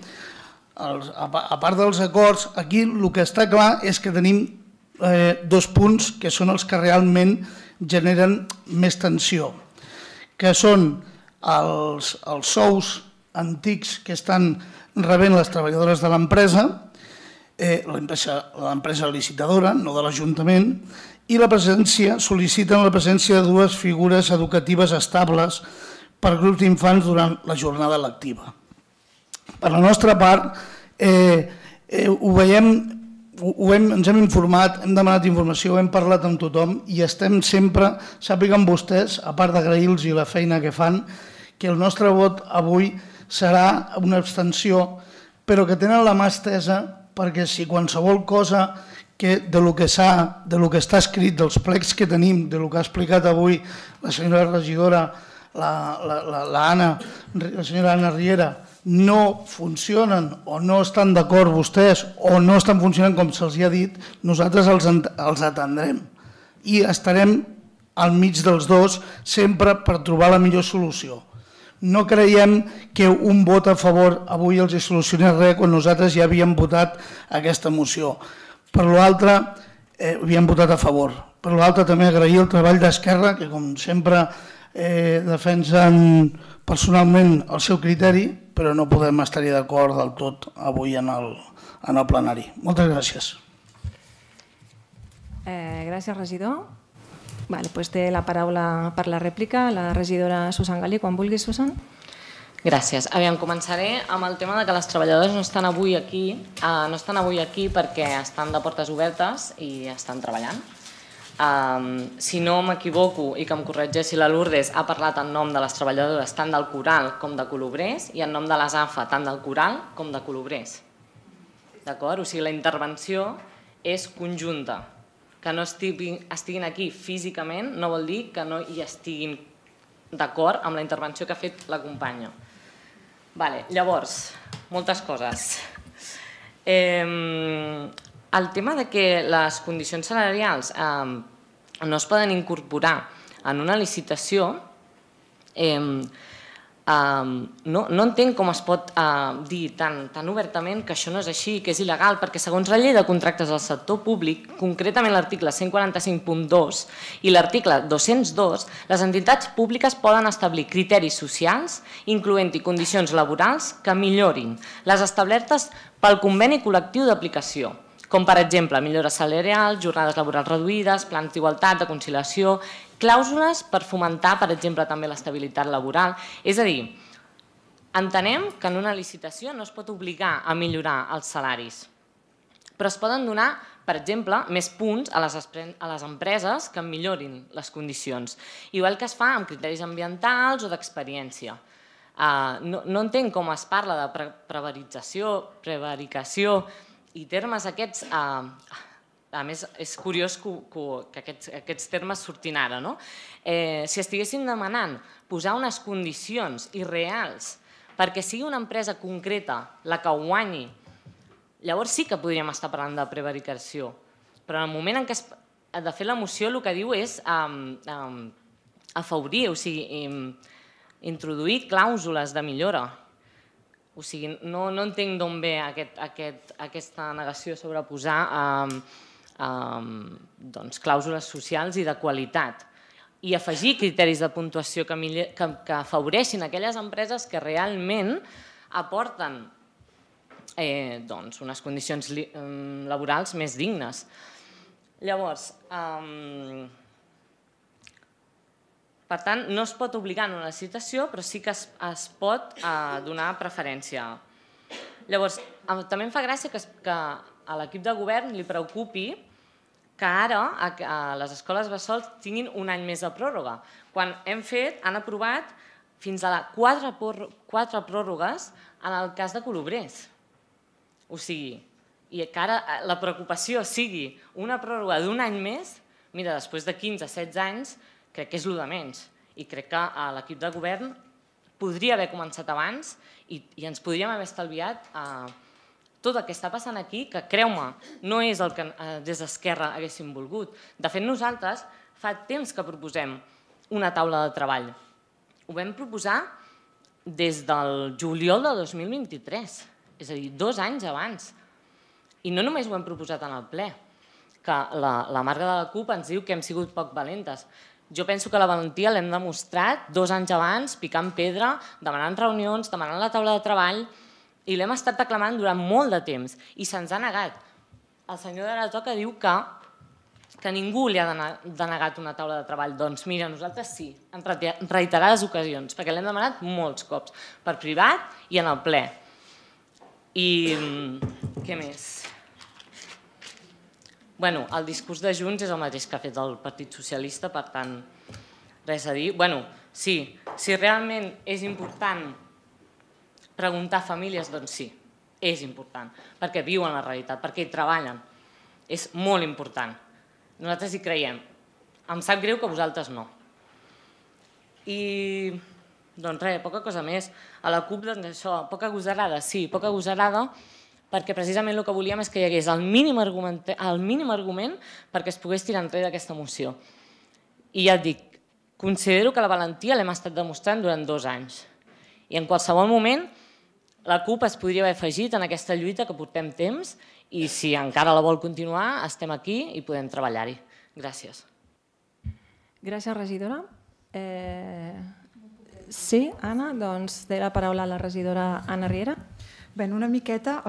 a part dels acords, aquí el que està clar és que tenim dos punts que són els que realment generen més tensió, que són els sous antics que estan rebent les treballadores de l'empresa, l'empresa licitadora, no de l'Ajuntament, i la presència, sol·liciten la presència de dues figures educatives estables per grups d'infants durant la jornada lectiva. Per la nostra part, ho veiem, ens hem informat, hem demanat informació, hem parlat amb tothom i estem sempre, sàpiguen vostès, a part d'agrair-los la feina que fan, que el nostre vot avui serà una abstenció, però que tenen la mà estesa perquè si qualsevol cosa de lo que està escrit, dels plecs que tenim, de lo que ha explicat avui la senyora regidora, la senyora Anna Riera, no funcionen o no estan d'acord vostès o no estan funcionant com se'ls ha dit, nosaltres els atendrem i estarem al mig dels dos sempre per trobar la millor solució. No creiem que un vot a favor avui els solucionés res quan nosaltres ja havíem votat aquesta moció. Per l'altre, havíem votat a favor. Per l'altre, també agrair el treball d'Esquerra, que com sempre defensen personalment el seu criteri, però no podem estar-hi d'acord del tot avui en el plenari. Moltes gràcies. Gràcies, regidor. Doncs té la paraula per la rèplica la regidora Susan Galí. Quan vulguis, Susan. Gràcies. Aviam, començaré amb el tema que les treballadores no estan avui aquí, no estan avui aquí perquè estan de portes obertes i estan treballant. Si no m'equivoco i que em corregeixi la Lourdes, ha parlat en nom de les treballadores tant del Coral com de Colobrers i en nom de les A F A tant del Coral com de Colobrers. D'acord? O sigui, la intervenció és conjunta. Que no estiguin aquí físicament no vol dir que no hi estiguin d'acord amb la intervenció que ha fet la companya. Llavors, moltes coses. El tema de que les condicions salarials no es poden incorporar en una licitació, no entenc com es pot dir tan obertament que això no és així, que és il·legal, perquè segons la llei de contractes del sector públic, concretament l'article cent quaranta-cinc punt dos i l'article dos-cents dos, les entitats públiques poden establir criteris socials, incloent-hi condicions laborals que millorin les establertes pel conveni col·lectiu d'aplicació, com per exemple millores salarials, jornades laborals reduïdes, plans d'igualtat, de conciliació, clàusules per fomentar, per exemple, també l'estabilitat laboral. És a dir, entenem que en una licitació no es pot obligar a millorar els salaris, però es poden donar, per exemple, més punts a les empreses que millorin les condicions, igual que es fa amb criteris ambientals o d'experiència. No entenc com es parla de prevarització, prevaricació i termes aquests. A més, és curiós que aquests termes surtin ara. Si estiguessin demanant posar unes condicions irreals perquè sigui una empresa concreta la que guanyi, llavors sí que podríem estar parlant de prevaricació. Però en el moment en què de fet la moció el que diu és afavorir, o sigui, introduir clàusules de millora. O sigui, no entenc d'on ve aquesta negació sobre posar clàusules socials i de qualitat i afegir criteris de puntuació que afavoreixin aquelles empreses que realment aporten unes condicions laborals més dignes. Llavors, per tant, no es pot obligar en una licitació, però sí que es pot donar preferència Llavors, també em fa gràcia que a l'equip de govern li preocupi que ara a les escoles bressol tinguin un any més de pròrroga, quan hem fet, han aprovat fins a quatre pròrrogues en el cas de Colobrers. O sigui, i que ara la preocupació sigui una pròrroga d'un any més, mira, després de quinze a setze anys, crec que és el de menys. I crec que l'equip de govern podria haver començat abans i ens podríem haver estalviat tot el que està passant aquí, que creu-me, no és el que des d'Esquerra haguéssim volgut. De fet, nosaltres fa temps que proposem una taula de treball. Ho vam proposar des del juliol de dos mil vint-i-tres, és a dir, dos anys abans. I no només ho hem proposat en el ple, que la Marga de la CUP ens diu que hem sigut poc valentes. Jo penso que la valentia l'hem demostrat dos anys abans, picant pedra, demanant reunions, demanant la taula de treball, i l'hem estat reclamant durant molt de temps, i se'ns ha negat. El senyor de la Toca diu que ningú li ha denegat una taula de treball. Doncs mira, nosaltres sí, en reiterades ocasions, perquè l'hem demanat molts cops, per privat i en el ple. I què més? Bueno, el discurs de Junts és el mateix que ha fet el Partit Socialista, per tant, res a dir. Bueno, sí, si realment és important preguntar a famílies, doncs sí, és important, perquè viuen la realitat, perquè hi treballen. És molt important. Nosaltres hi creiem. Em sap greu que vosaltres no. I, doncs res, poca cosa més. A la CUP, doncs això, poca gosarada, sí, poca gosarada, perquè precisament el que volíem és que hi hagués el mínim argument perquè es pogués tirar enrere aquesta moció. I ja et dic, considero que la valentia l'hem estat demostrant durant dos anys. I en qualsevol moment la CUP es podria haver afegit en aquesta lluita que portem temps i si encara la vol continuar, estem aquí i podem treballar-hi. Gràcies. Gràcies, regidora. Sí, Anna, doncs té la paraula la regidora Anna Riera. Bé, una miqueta,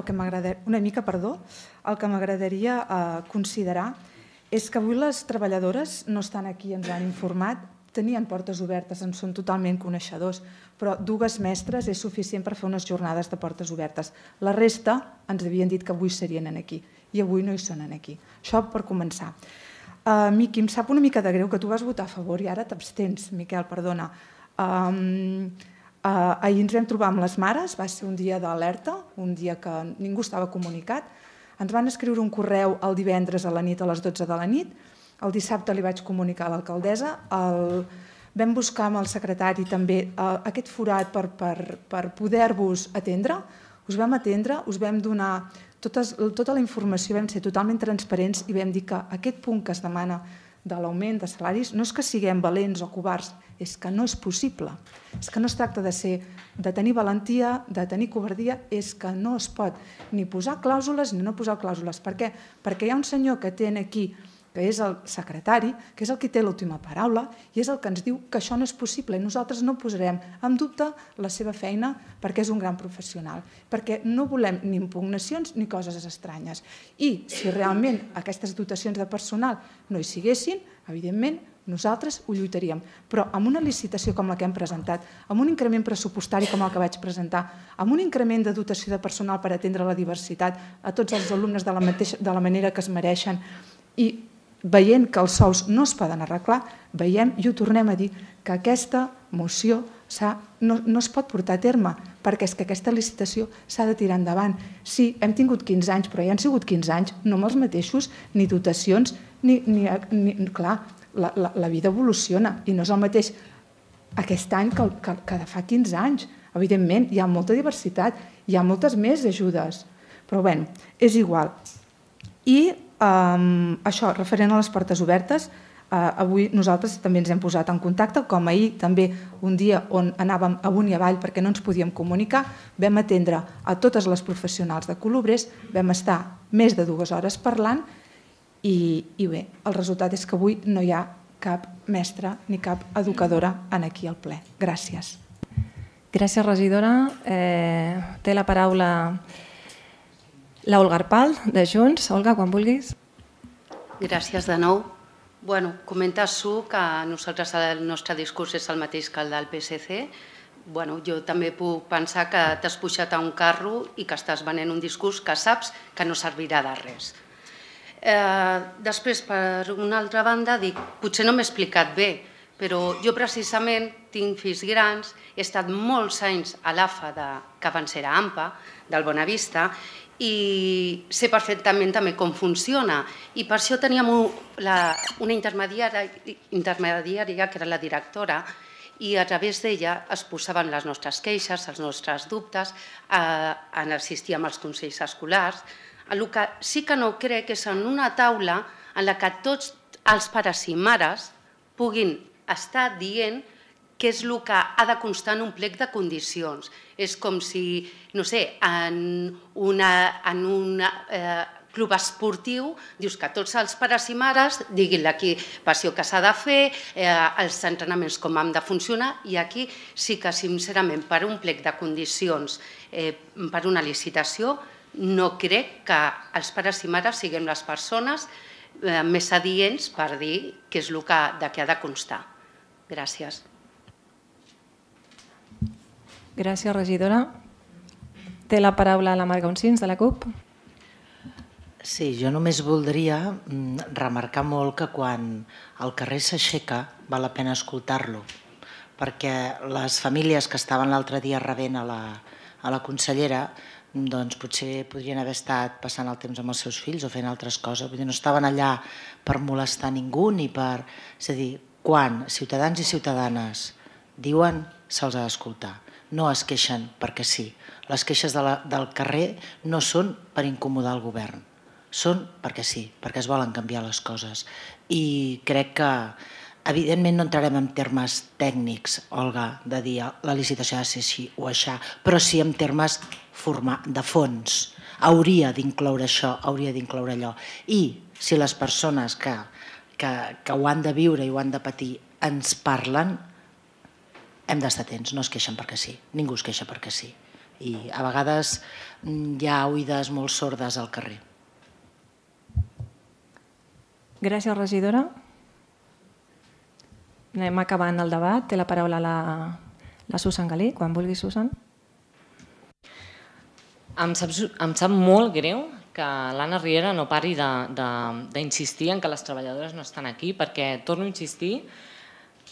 una mica, perdó, el que m'agradaria considerar és que avui les treballadores no estan aquí, ens han informat, tenien portes obertes, en són totalment coneixedors, però dues mestres és suficient per fer unes jornades de portes obertes. La resta ens havien dit que avui serien aquí i avui no hi són aquí. Això per començar. Miqui, em sap una mica de greu que tu vas votar a favor i ara t'abstens, Miquel, perdona. Ahir ens vam trobar amb les mares, va ser un dia d'alerta, un dia que ningú estava comunicat. Ens van escriure un correu el divendres a la nit, a les dotze de la nit. El dissabte li vaig comunicar a l'alcaldessa. Vam buscar amb el secretari també aquest forat per poder-vos atendre. Us vam atendre, us vam donar tota la informació, vam ser totalment transparents i vam dir que aquest punt que es demana de l'augment de salaris no és que siguem valents o covards, és que no és possible. És que no es tracta de tenir valentia, de tenir covardia, és que no es pot ni posar clàusules ni no posar clàusules. Per què? Perquè hi ha un senyor que té aquí, que és el secretari, que és el que té l'última paraula i és el que ens diu que això no és possible i nosaltres no posarem en dubte la seva feina perquè és un gran professional, perquè no volem ni impugnacions ni coses estranyes. I si realment aquestes dotacions de personal no hi siguessin, evidentment nosaltres ho lluitaríem, però amb una licitació com la que hem presentat, amb un increment pressupostari com el que vaig presentar, amb un increment de dotació de personal per atendre la diversitat a tots els alumnes de la manera que es mereixen i veient que els sous no es poden arreglar, veiem i ho tornem a dir que aquesta moció no es pot portar a terme perquè és que aquesta licitació s'ha de tirar endavant. Sí, hem tingut quinze anys, però ja han sigut quinze anys, no amb els mateixos, ni dotacions, ni... Clar, la vida evoluciona i no és el mateix aquest any que de fa quinze anys. Evidentment, hi ha molta diversitat, hi ha moltes més ajudes, però bé, és igual. I això, referent a les portes obertes, avui nosaltres també ens hem posat en contacte, com ahir també un dia on anàvem amunt i avall perquè no ens podíem comunicar, vam atendre a totes les professionals de Colobrers, vam estar més de dues hores parlant i bé, el resultat és que avui no hi ha cap mestra ni cap educadora aquí al ple. Gràcies. Gràcies, regidora. Té la paraula l'Olga Arpal, de Junts. Olga, quan vulguis. Gràcies de nou. Bueno, comenta Su que nosaltres el nostre discurs és el mateix que el del P S C. bueno, jo també puc pensar que t'has pujat a un carro i que estàs venent un discurs que saps que no servirà de res. Eh, després, per una altra banda, dic, potser no m'he explicat bé, però jo precisament tinc fills grans, he estat molts anys a l'A F A, que abans era A M P A, del Bonavista, i sé perfectament també com funciona. I per això teníem una intermediària, que era la directora, i a través d'ella es posaven les nostres queixes, els nostres dubtes, assistíem als consells escolars. El que sí que no crec és en una taula en la que tots els pares i mares puguin estar dient què és el que ha de constar en un plec de condicions. És com si, no sé, en un club esportiu dius que tots els pares i mares diguin l'equipació que s'ha de fer, els entrenaments com han de funcionar, i aquí sí que, sincerament, per un plec de condicions, per una licitació, no crec que els pares i mares siguem les persones més adients per dir què és el que ha de constar. Gràcies. Gràcies, regidora. Té la paraula la Marga Uncins, de la CUP. Sí, jo només voldria remarcar molt que quan el carrer s'aixeca val la pena escoltar-lo, perquè les famílies que estaven l'altre dia rebent a la consellera doncs potser podrien haver estat passant el temps amb els seus fills o fent altres coses, vull dir, no estaven allà per molestar ningú ni per... És a dir, quan ciutadans i ciutadanes diuen, se'ls ha d'escoltar. No es queixen perquè sí. Les queixes del carrer no són per incomodar el govern, són perquè sí, perquè es volen canviar les coses. I crec que, evidentment, no entrarem en termes tècnics, Olga, de dir la licitació ha de ser així o aixà, però sí en termes de fons. Hauria d'incloure això, hauria d'incloure allò. I si les persones que ho han de viure i ho han de patir ens parlen, hem d'estar atents, no es queixen perquè sí, ningú es queixa perquè sí. I a vegades hi ha oïdes molt sordes al carrer. Gràcies, regidora. Anem acabant el debat. Té la paraula la Susan Galí. Quan vulgui, Susan. Em sap molt greu que l'Anna Riera no pari d'insistir en que les treballadores no estan aquí, perquè, torno a insistir,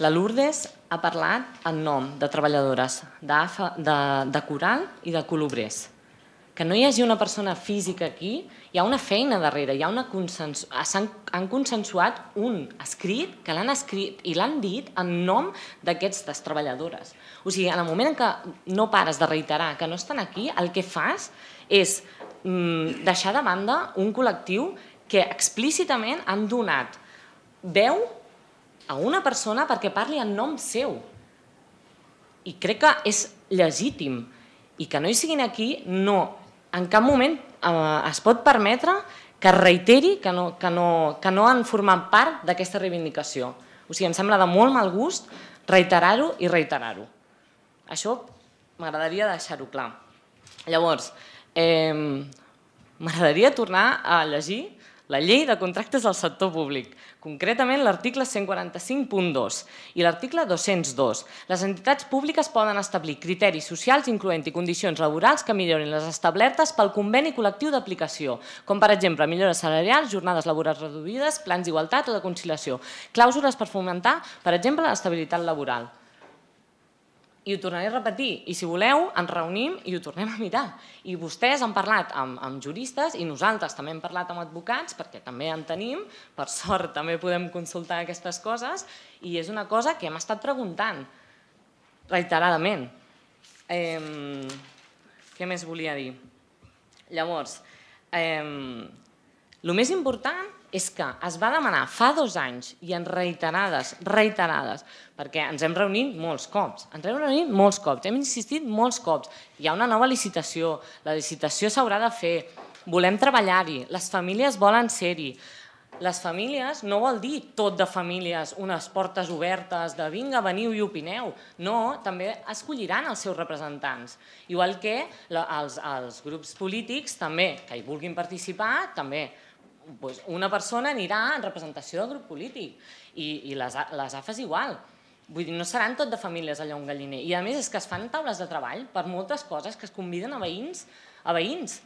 la Lourdes ha parlat en nom de treballadores de Coral i de Colobrers. Que no hi hagi una persona física aquí, hi ha una feina darrere, han consensuat un escrit que l'han escrit i l'han dit en nom d'aquestes treballadores. O sigui, en el moment en què no pares de reiterar que no estan aquí, el que fas és deixar de banda un col·lectiu que explícitament han donat veu a una persona perquè parli en nom seu. I crec que és legítim. I que no hi siguin aquí, no, en cap moment es pot permetre que reiteri que no han format part d'aquesta reivindicació. O sigui, em sembla de molt mal gust reiterar-ho i reiterar-ho. Això m'agradaria deixar-ho clar. Llavors, m'agradaria tornar a llegir la llei de contractes del sector públic, concretament l'article cent quaranta-cinc punt dos i l'article dos-cents dos. Les entitats públiques poden establir criteris socials incloent-hi condicions laborals que millorin les establertes pel conveni col·lectiu d'aplicació, com per exemple millores salarials, jornades laborals reduïdes, plans d'igualtat o de conciliació, clàusules per fomentar, per exemple, l'estabilitat laboral. I ho tornaré a repetir, i si voleu ens reunim i ho tornem a mirar. I vostès han parlat amb juristes i nosaltres també hem parlat amb advocats, perquè també en tenim, per sort també podem consultar aquestes coses, i és una cosa que hem estat preguntant reiteradament. Què més volia dir? Llavors, el més important és que es va demanar fa dos anys i en reiterades, reiterades, perquè ens hem reunit molts cops, ens hem reunit molts cops, hem insistit molts cops, hi ha una nova licitació, la licitació s'haurà de fer, volem treballar-hi, les famílies volen ser-hi. Les famílies no vol dir tot de famílies, unes portes obertes de vinga, veniu i opineu. No, també escolliran els seus representants. Igual que els grups polítics també, que hi vulguin participar, també. Una persona anirà en representació del grup polític i les A F Es igual. Vull dir, no seran tot de famílies allà un galliner. I a més és que es fan taules de treball per moltes coses, que es conviden a veïns, a veïns,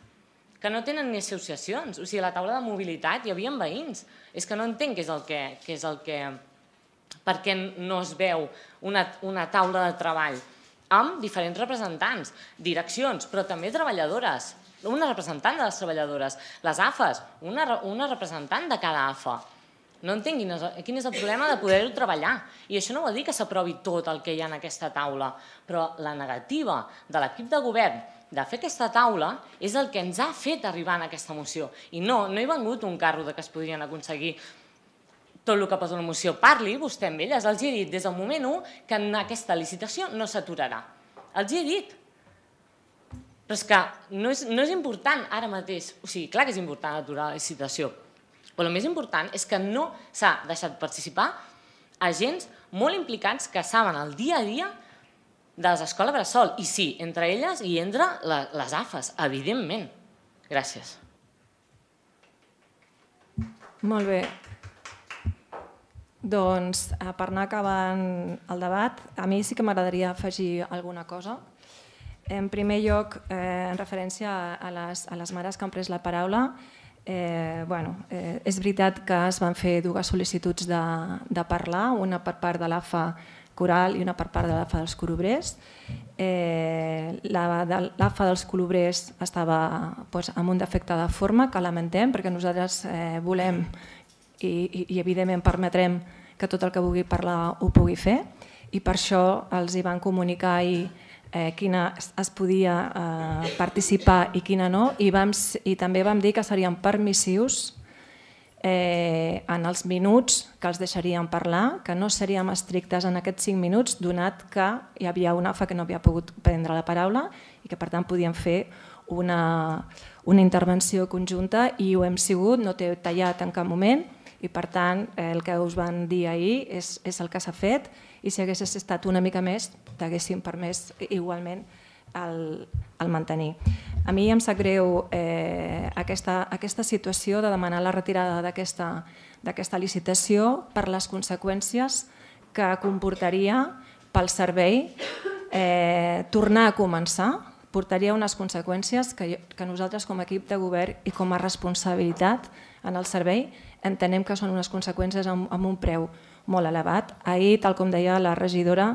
que no tenen ni associacions. O sigui, a la taula de mobilitat hi havia veïns. És que no entenc què és el que... Què és el que per què no es veu una, una taula de treball amb diferents representants, direccions, però també treballadores, una representant de les treballadores, les A F As, una, una representant de cada A F A. No entenc quin és, quin és el problema de poder-ho treballar. I això no vol dir que s'aprovi tot el que hi ha en aquesta taula, però la negativa de l'equip de govern de fer aquesta taula és el que ens ha fet arribar en aquesta moció. I no, no he vengut un carro de que es podrien aconseguir tot el que posa la moció. Parli vostè amb elles. Els he dit des del moment u que en aquesta licitació no s'aturarà. Els he dit. Però és que no és, no és important ara mateix. O sigui, clar que és important aturar la licitació. Però el més important és que no s'ha deixat participar agents molt implicats que saben el dia a dia de les escoles bressol. I sí, entre elles i entre les A F As, evidentment. Gràcies. Molt bé. Doncs, per anar acabant el debat, a mi sí que m'agradaria afegir alguna cosa. En primer lloc, en referència a les, a les mares que han pres la paraula, eh, bueno, eh, és veritat que es van fer dues sol·licituds de, de parlar, una per part de l'A F A Coral i una per part de l'A F A dels Colobrers. Eh, la de l'A F A dels Colobrers estava doncs, amb un defecte de forma que lamentem perquè nosaltres eh, volem i, i, i evidentment permetrem que tot el que vulgui parlar ho pugui fer i per això els hi van comunicar ahir eh, quina es podia eh, participar i quina no i, vam, i també vam dir que serien permissius eh, en els minuts que els deixaríem parlar, que no seríem estrictes en aquests cinc minuts donat que hi havia una A F A que no havia pogut prendre la paraula i que per tant podíem fer una, una intervenció conjunta i ho hem sigut, no t'he tallat en cap moment i per tant el que us van dir ahir és, és el que s'ha fet i si hagués estat una mica més t'haguéssim permès igualment el, el mantenir. A mi em sap greu eh, aquesta, aquesta situació de demanar la retirada d'aquesta licitació per les conseqüències que comportaria pel servei eh, tornar a començar portaria unes conseqüències que, que nosaltres com a equip de govern i com a responsabilitat en el servei entenem que són unes conseqüències amb, amb un preu molt elevat. Ahir, tal com deia la regidora,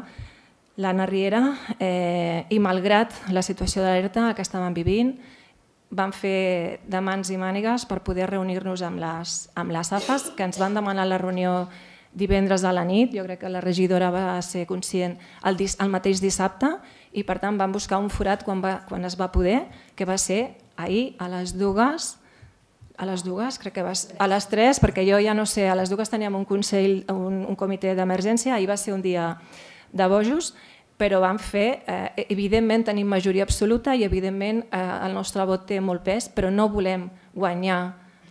l'Anna Riera, eh, i malgrat la situació d'alerta que estàvem vivint, vam fer de mans i mànigues per poder reunir-nos amb les, amb les A F As, que ens van demanar la reunió divendres a la nit. Jo crec que la regidora va ser conscient el, el mateix dissabte i per tant vam buscar un forat quan, va, quan es va poder, que va ser ahir a les dues, a les dues, crec que va ser, a les tres, perquè jo ja no sé, a les dues teníem un consell, un, un comitè d'emergència, ahir va ser un dia de bojos, però vam fer, eh, evidentment tenim majoria absoluta i evidentment eh, el nostre vot té molt pes, però no volem guanyar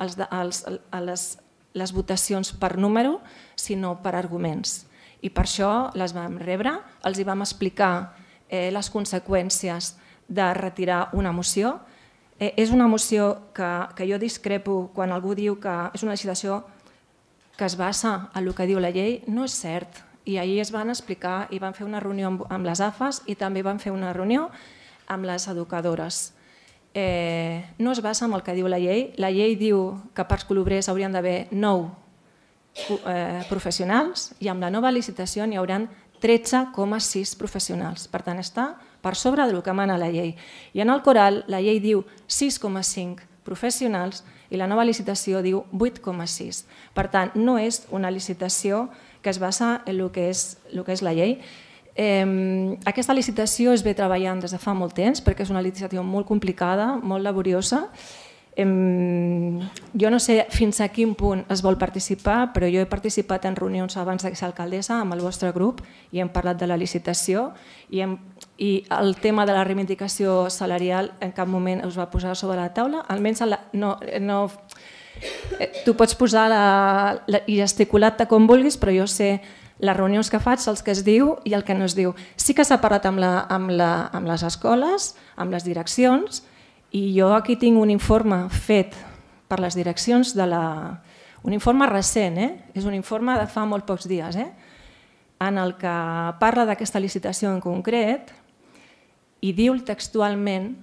els, els, les, les votacions per número, sinó per arguments. I per això les vam rebre, els hi vam explicar eh, les conseqüències de retirar una moció. Eh, és una moció que, que jo discrepo quan algú diu que és una legislació que es basa en el que diu la llei, no és cert. I ahir es van explicar i van fer una reunió amb, amb les A F As i també van fer una reunió amb les educadores. Eh, no es basa en el que diu la llei. La llei diu que per als colobrers haurien d'haver nou eh, professionals i amb la nova licitació n'hi hauran tretze coma sis professionals. Per tant, està per sobre del que mana la llei. I en el Coral la llei diu sis coma cinc professionals i la nova licitació diu vuit coma sis. Per tant, no és una licitació que es basa en el que és, el que és la llei. Eh, aquesta licitació es ve treballant des de fa molt temps perquè és una licitació molt complicada, molt laboriosa. Eh, jo no sé fins a quin punt es vol participar, però jo he participat en reunions abans de ser alcaldessa amb el vostre grup i hem parlat de la licitació i, hem, i el tema de la reivindicació salarial en cap moment us va posar sobre la taula, almenys la, no... no tu pots posar la, la, i gesticular-te com vulguis, però jo sé les reunions que faig, els que es diu i el que no es diu. Sí que s'ha parlat amb, la, amb, la, amb les escoles, amb les direccions, i jo aquí tinc un informe fet per les direccions de la... un informe recent, eh? És un informe de fa molt pocs dies, eh? en el que parla d'aquesta licitació en concret i diu textualment: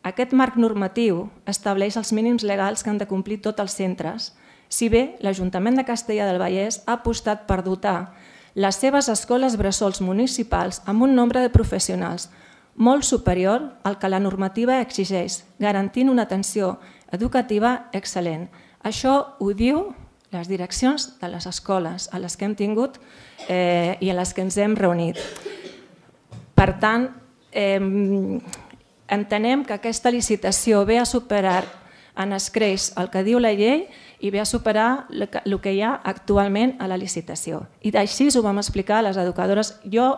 aquest marc normatiu estableix els mínims legals que han de complir tots els centres, si bé l'Ajuntament de Castellar del Vallès ha apostat per dotar les seves escoles bressols municipals amb un nombre de professionals molt superior al que la normativa exigeix, garantint una atenció educativa excel·lent. Això ho diu les direccions de les escoles a les que hem tingut eh, i a les que ens hem reunit. Per tant, eh, entenem que aquesta licitació ve a superar en escreix el que diu la llei i ve a superar el que hi ha actualment a la licitació. I així ho vam explicar a les educadores. Jo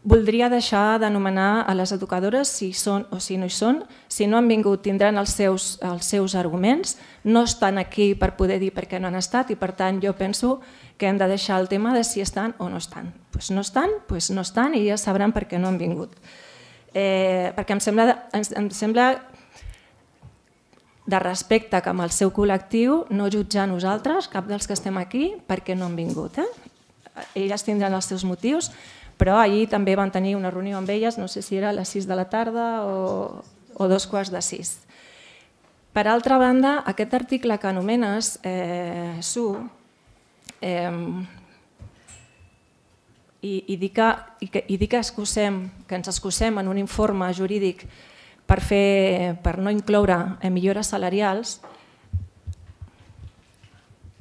voldria deixar d'anomenar a les educadores si són o si no hi són. Si no han vingut tindran els seus, els seus arguments. No estan aquí per poder dir per què no han estat i per tant jo penso que hem de deixar el tema de si estan o no estan. Doncs no estan, doncs no estan i ja sabran per què no han vingut. Eh, perquè em sembla, em sembla de respecte cap al seu col·lectiu no jutjar nosaltres, cap dels que estem aquí, perquè no han vingut. Eh? Elles tindran els seus motius, però ahir també van tenir una reunió amb elles, no sé si era a les sis de la tarda o, o dos quarts de sis. Per altra banda, aquest article que anomenes, eh, Su, eh, i, i dir que, i que, i dir que, excusem, que ens excusem en un informe jurídic per, fer, per no incloure millores salarials,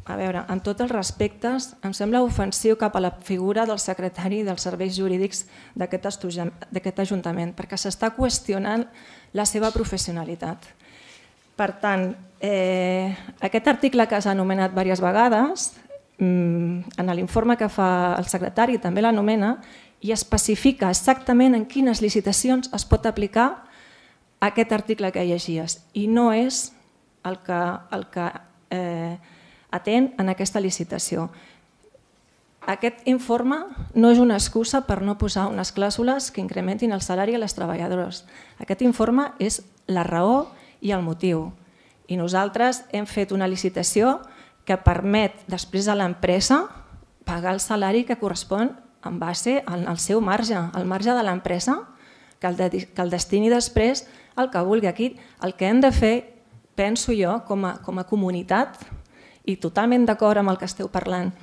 a veure, en tots els respectes, em sembla ofensiu cap a la figura del secretari dels serveis jurídics d'aquest Ajuntament, perquè s'està qüestionant la seva professionalitat. Per tant, eh, aquest article que s'ha anomenat diverses vegades, en l'informe que fa el secretari també l'anomena i especifica exactament en quines licitacions es pot aplicar aquest article que llegies i no és el que, el que eh, atén en aquesta licitació. Aquest informe no és una excusa per no posar unes clàusules que incrementin el salari a les treballadores. Aquest informe és la raó i el motiu. I nosaltres hem fet una licitació que permet després a l'empresa pagar el salari que correspon en base al seu marge, al marge de l'empresa, que el destini després el que vulgui. Aquí el que hem de fer, penso jo, com a, com a comunitat, i totalment d'acord amb el que esteu parlant,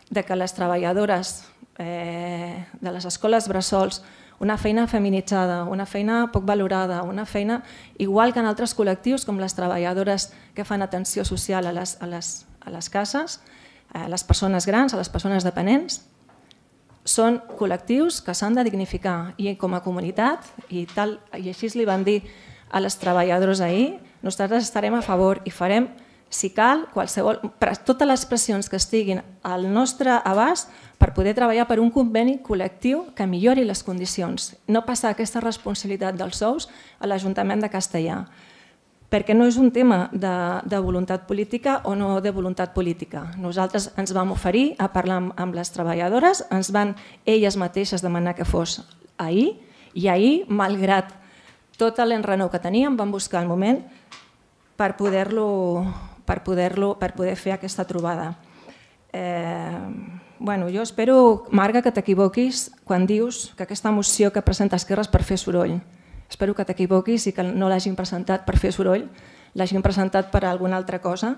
de que les treballadores eh, de les escoles bressols, una feina feminitzada, una feina poc valorada, una feina igual que en altres col·lectius com les treballadores que fan atenció social a les, a les, a les cases, a les persones grans, a les persones dependents, són col·lectius que s'han de dignificar i com a comunitat, i, tal, i així li van dir a les treballadores ahir, nosaltres estarem a favor i farem, si cal, qualsevol, totes les pressions que estiguin al nostre abast per poder treballar per un conveni col·lectiu que millori les condicions, no passar aquesta responsabilitat dels sous a l'Ajuntament de Castellar, perquè no és un tema de, de voluntat política o no de voluntat política. Nosaltres ens vam oferir a parlar amb, amb les treballadores, ens van elles mateixes demanar que fos ahir, i ahir, malgrat tot l'enrenou que teníem, vam buscar el moment per poder-lo per poder-lo, per poder fer aquesta trobada. Eh, bueno, jo espero, Marga, que t'equivoquis quan dius que aquesta moció que presenta Esquerra és per fer soroll. Espero que t'equivoquis i que no l'hagin presentat per fer soroll, l'hagin presentat per alguna altra cosa,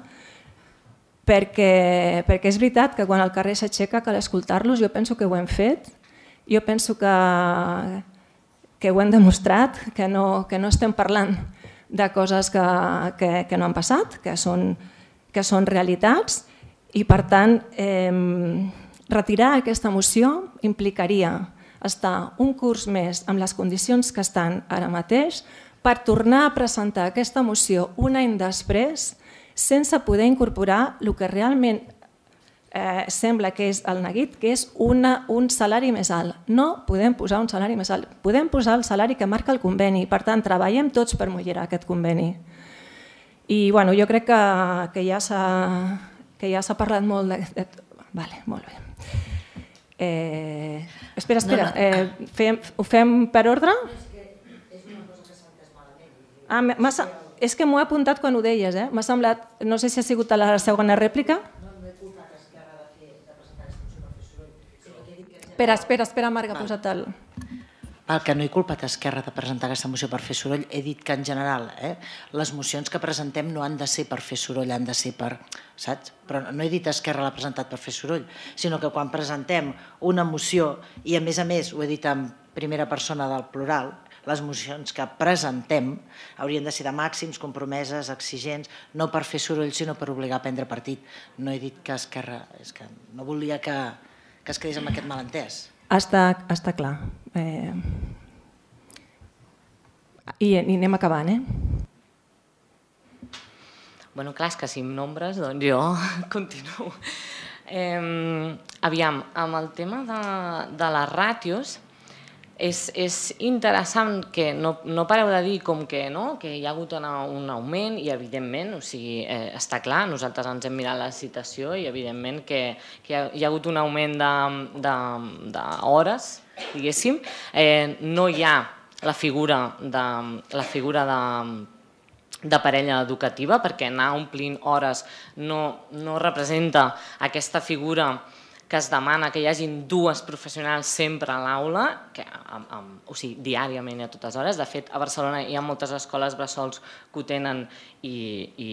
perquè, perquè és veritat que quan el carrer s'aixeca cal escoltar-los, jo penso que ho hem fet, jo penso que, que ho hem demostrat, que no, que no estem parlant de coses que, que, que no han passat, que són, que són realitats i per tant eh, retirar aquesta moció implicaria estar un curs més amb les condicions que estan ara mateix per tornar a presentar aquesta moció un any després sense poder incorporar el que realment eh, sembla que és el neguit, que és una, un salari més alt. No podem posar un salari més alt, podem posar el salari que marca el conveni, per tant treballem tots per millorar aquest conveni. I bueno, jo crec que, que ja s'ha que ja s'ha parlat molt de... de vale, molt bé. Eh, espera, espera, eh, fem, ho fem per ordre? Ah, és que m'ho he apuntat quan ho deies, eh? M'ha semblat, no sé si ha sigut a la segona rèplica. Espera, espera, espera, Marc, ha posat el... Val, que no he culpat Esquerra de presentar aquesta moció per fer soroll. He dit que en general les mocions que presentem no han de ser per fer soroll, han de ser per... saps? Però no he dit Esquerra l'ha presentat per fer soroll, sinó que quan presentem una moció, i a més a més ho he dit en primera persona del plural, les mocions que presentem haurien de ser de màxims, compromeses, exigents, no per fer soroll, sinó per obligar a prendre partit. No he dit que Esquerra... És que no volia que, que es quedés amb aquest malentès. Està, està clar. Eh... I, I anem acabant, eh? Bueno, clar, és que si amb nombres, doncs jo continuo. Eh, aviam, amb el tema de, de les ràtios, és, és interessant que no, no pareu de dir com que, no, que hi ha hagut una, un augment i evidentment, o sigui, eh, està clar, nosaltres ens hem mirat la citació i evidentment que, que hi, ha, hi ha hagut un augment d'hores, diguéssim. Eh, no hi ha la figura de, la figura de, de parella educativa perquè anar omplint hores no, no representa aquesta figura que es demana que hi hagin dues professionals sempre a l'aula, o sigui, diàriament i a totes hores. De fet, a Barcelona hi ha moltes escoles bressols que ho tenen i, i,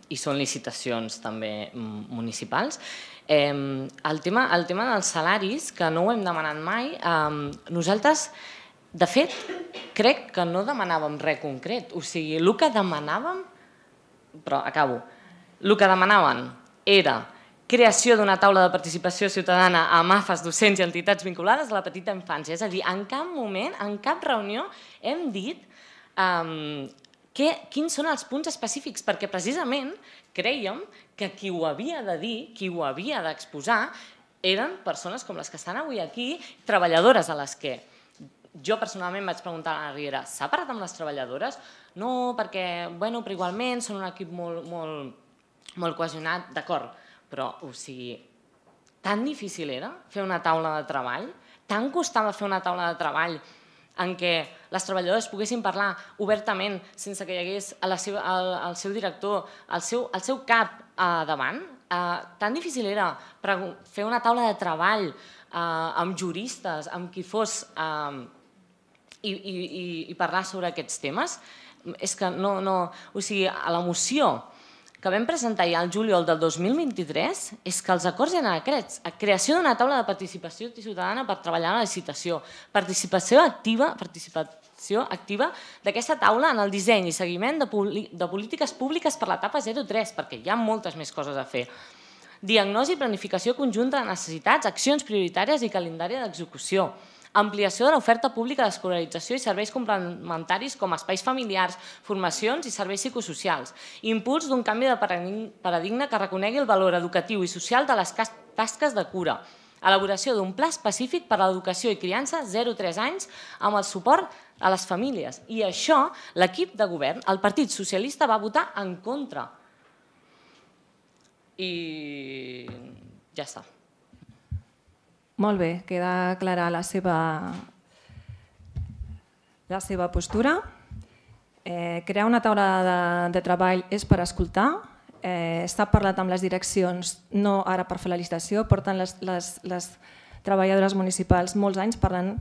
i són licitacions també municipals. Eh, el, tema, el tema dels salaris, que no ho hem demanat mai, eh, nosaltres, de fet, crec que no demanàvem res concret. O sigui, el que demanàvem, però acabo, el que demanaven era creació d'una taula de participació ciutadana amb A F As, docents i entitats vinculades a la petita infància. És a dir, en cap moment, en cap reunió hem dit um, que, quins són els punts específics, perquè precisament crèiem que qui ho havia de dir, qui ho havia d'exposar, eren persones com les que estan avui aquí, treballadores a les que jo personalment vaig preguntar a la Riera, s'ha parlat amb les treballadores? No, perquè, bueno, però igualment són un equip molt, molt, molt cohesionat, d'acord. Però, o sigui, tan difícil era fer una taula de treball, tant costava fer una taula de treball en què les treballadores poguessin parlar obertament sense que hi hagués el, el seu director, el seu, el seu cap a davant. Eh, tan difícil era fer una taula de treball eh, amb juristes, amb qui fos, eh, i, i, i parlar sobre aquests temes. És que no, no, o sigui, a la moció que vam presentar ja el juliol del dos mil vint-i-tres és que els acords eren aquests. Creació d'una taula de participació ciutadana per treballar en la licitació. Participació activa participació activa d'aquesta taula en el disseny i seguiment de, de polítiques públiques per l'etapa zero tres, perquè hi ha moltes més coses a fer. Diagnosi i planificació conjunta de necessitats, accions prioritàries i calendari d'execució. Ampliació de l'oferta pública d'escolarització i serveis complementaris com espais familiars, formacions i serveis psicosocials. Impuls d'un canvi de paradigma que reconegui el valor educatiu i social de les tasques de cura. Elaboració d'un pla específic per a l'educació i criança zero a tres anys amb el suport a les famílies. I això, l'equip de govern, el Partit Socialista, va votar en contra. I ja està. Molt bé, queda clara la seva, la seva postura. Eh, crear una taula de, de treball és per escoltar. Eh, S'ha parlat amb les direccions, no ara per fer la licitació, porten les, les, les treballadores municipals molts anys parlant,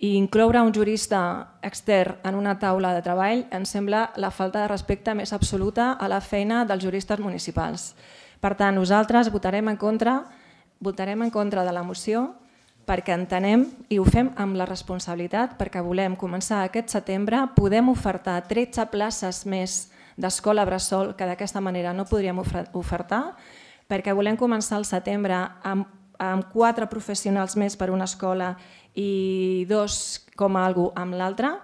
i incloure un jurista extern en una taula de treball em sembla la falta de respecte més absoluta a la feina dels juristes municipals. Per tant, nosaltres votarem en contra votarem en contra de la moció perquè entenem i ho fem amb la responsabilitat perquè volem començar aquest setembre, podem ofertar tretze places més d'escola bressol que d'aquesta manera no podríem ofertar, perquè volem començar el setembre amb, amb quatre professionals més per una escola i dos com a algú amb l'altra,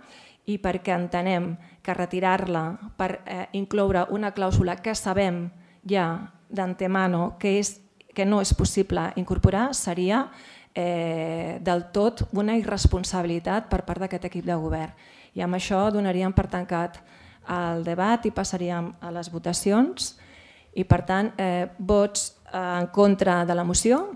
i perquè entenem que retirar-la per eh, incloure una clàusula que sabem ja d'antemano que és que no és possible incorporar seria eh, del tot una irresponsabilitat per part d'aquest equip de govern. I amb això donaríem per tancat el debat i passaríem a les votacions. I per tant, eh, vots en contra de la moció.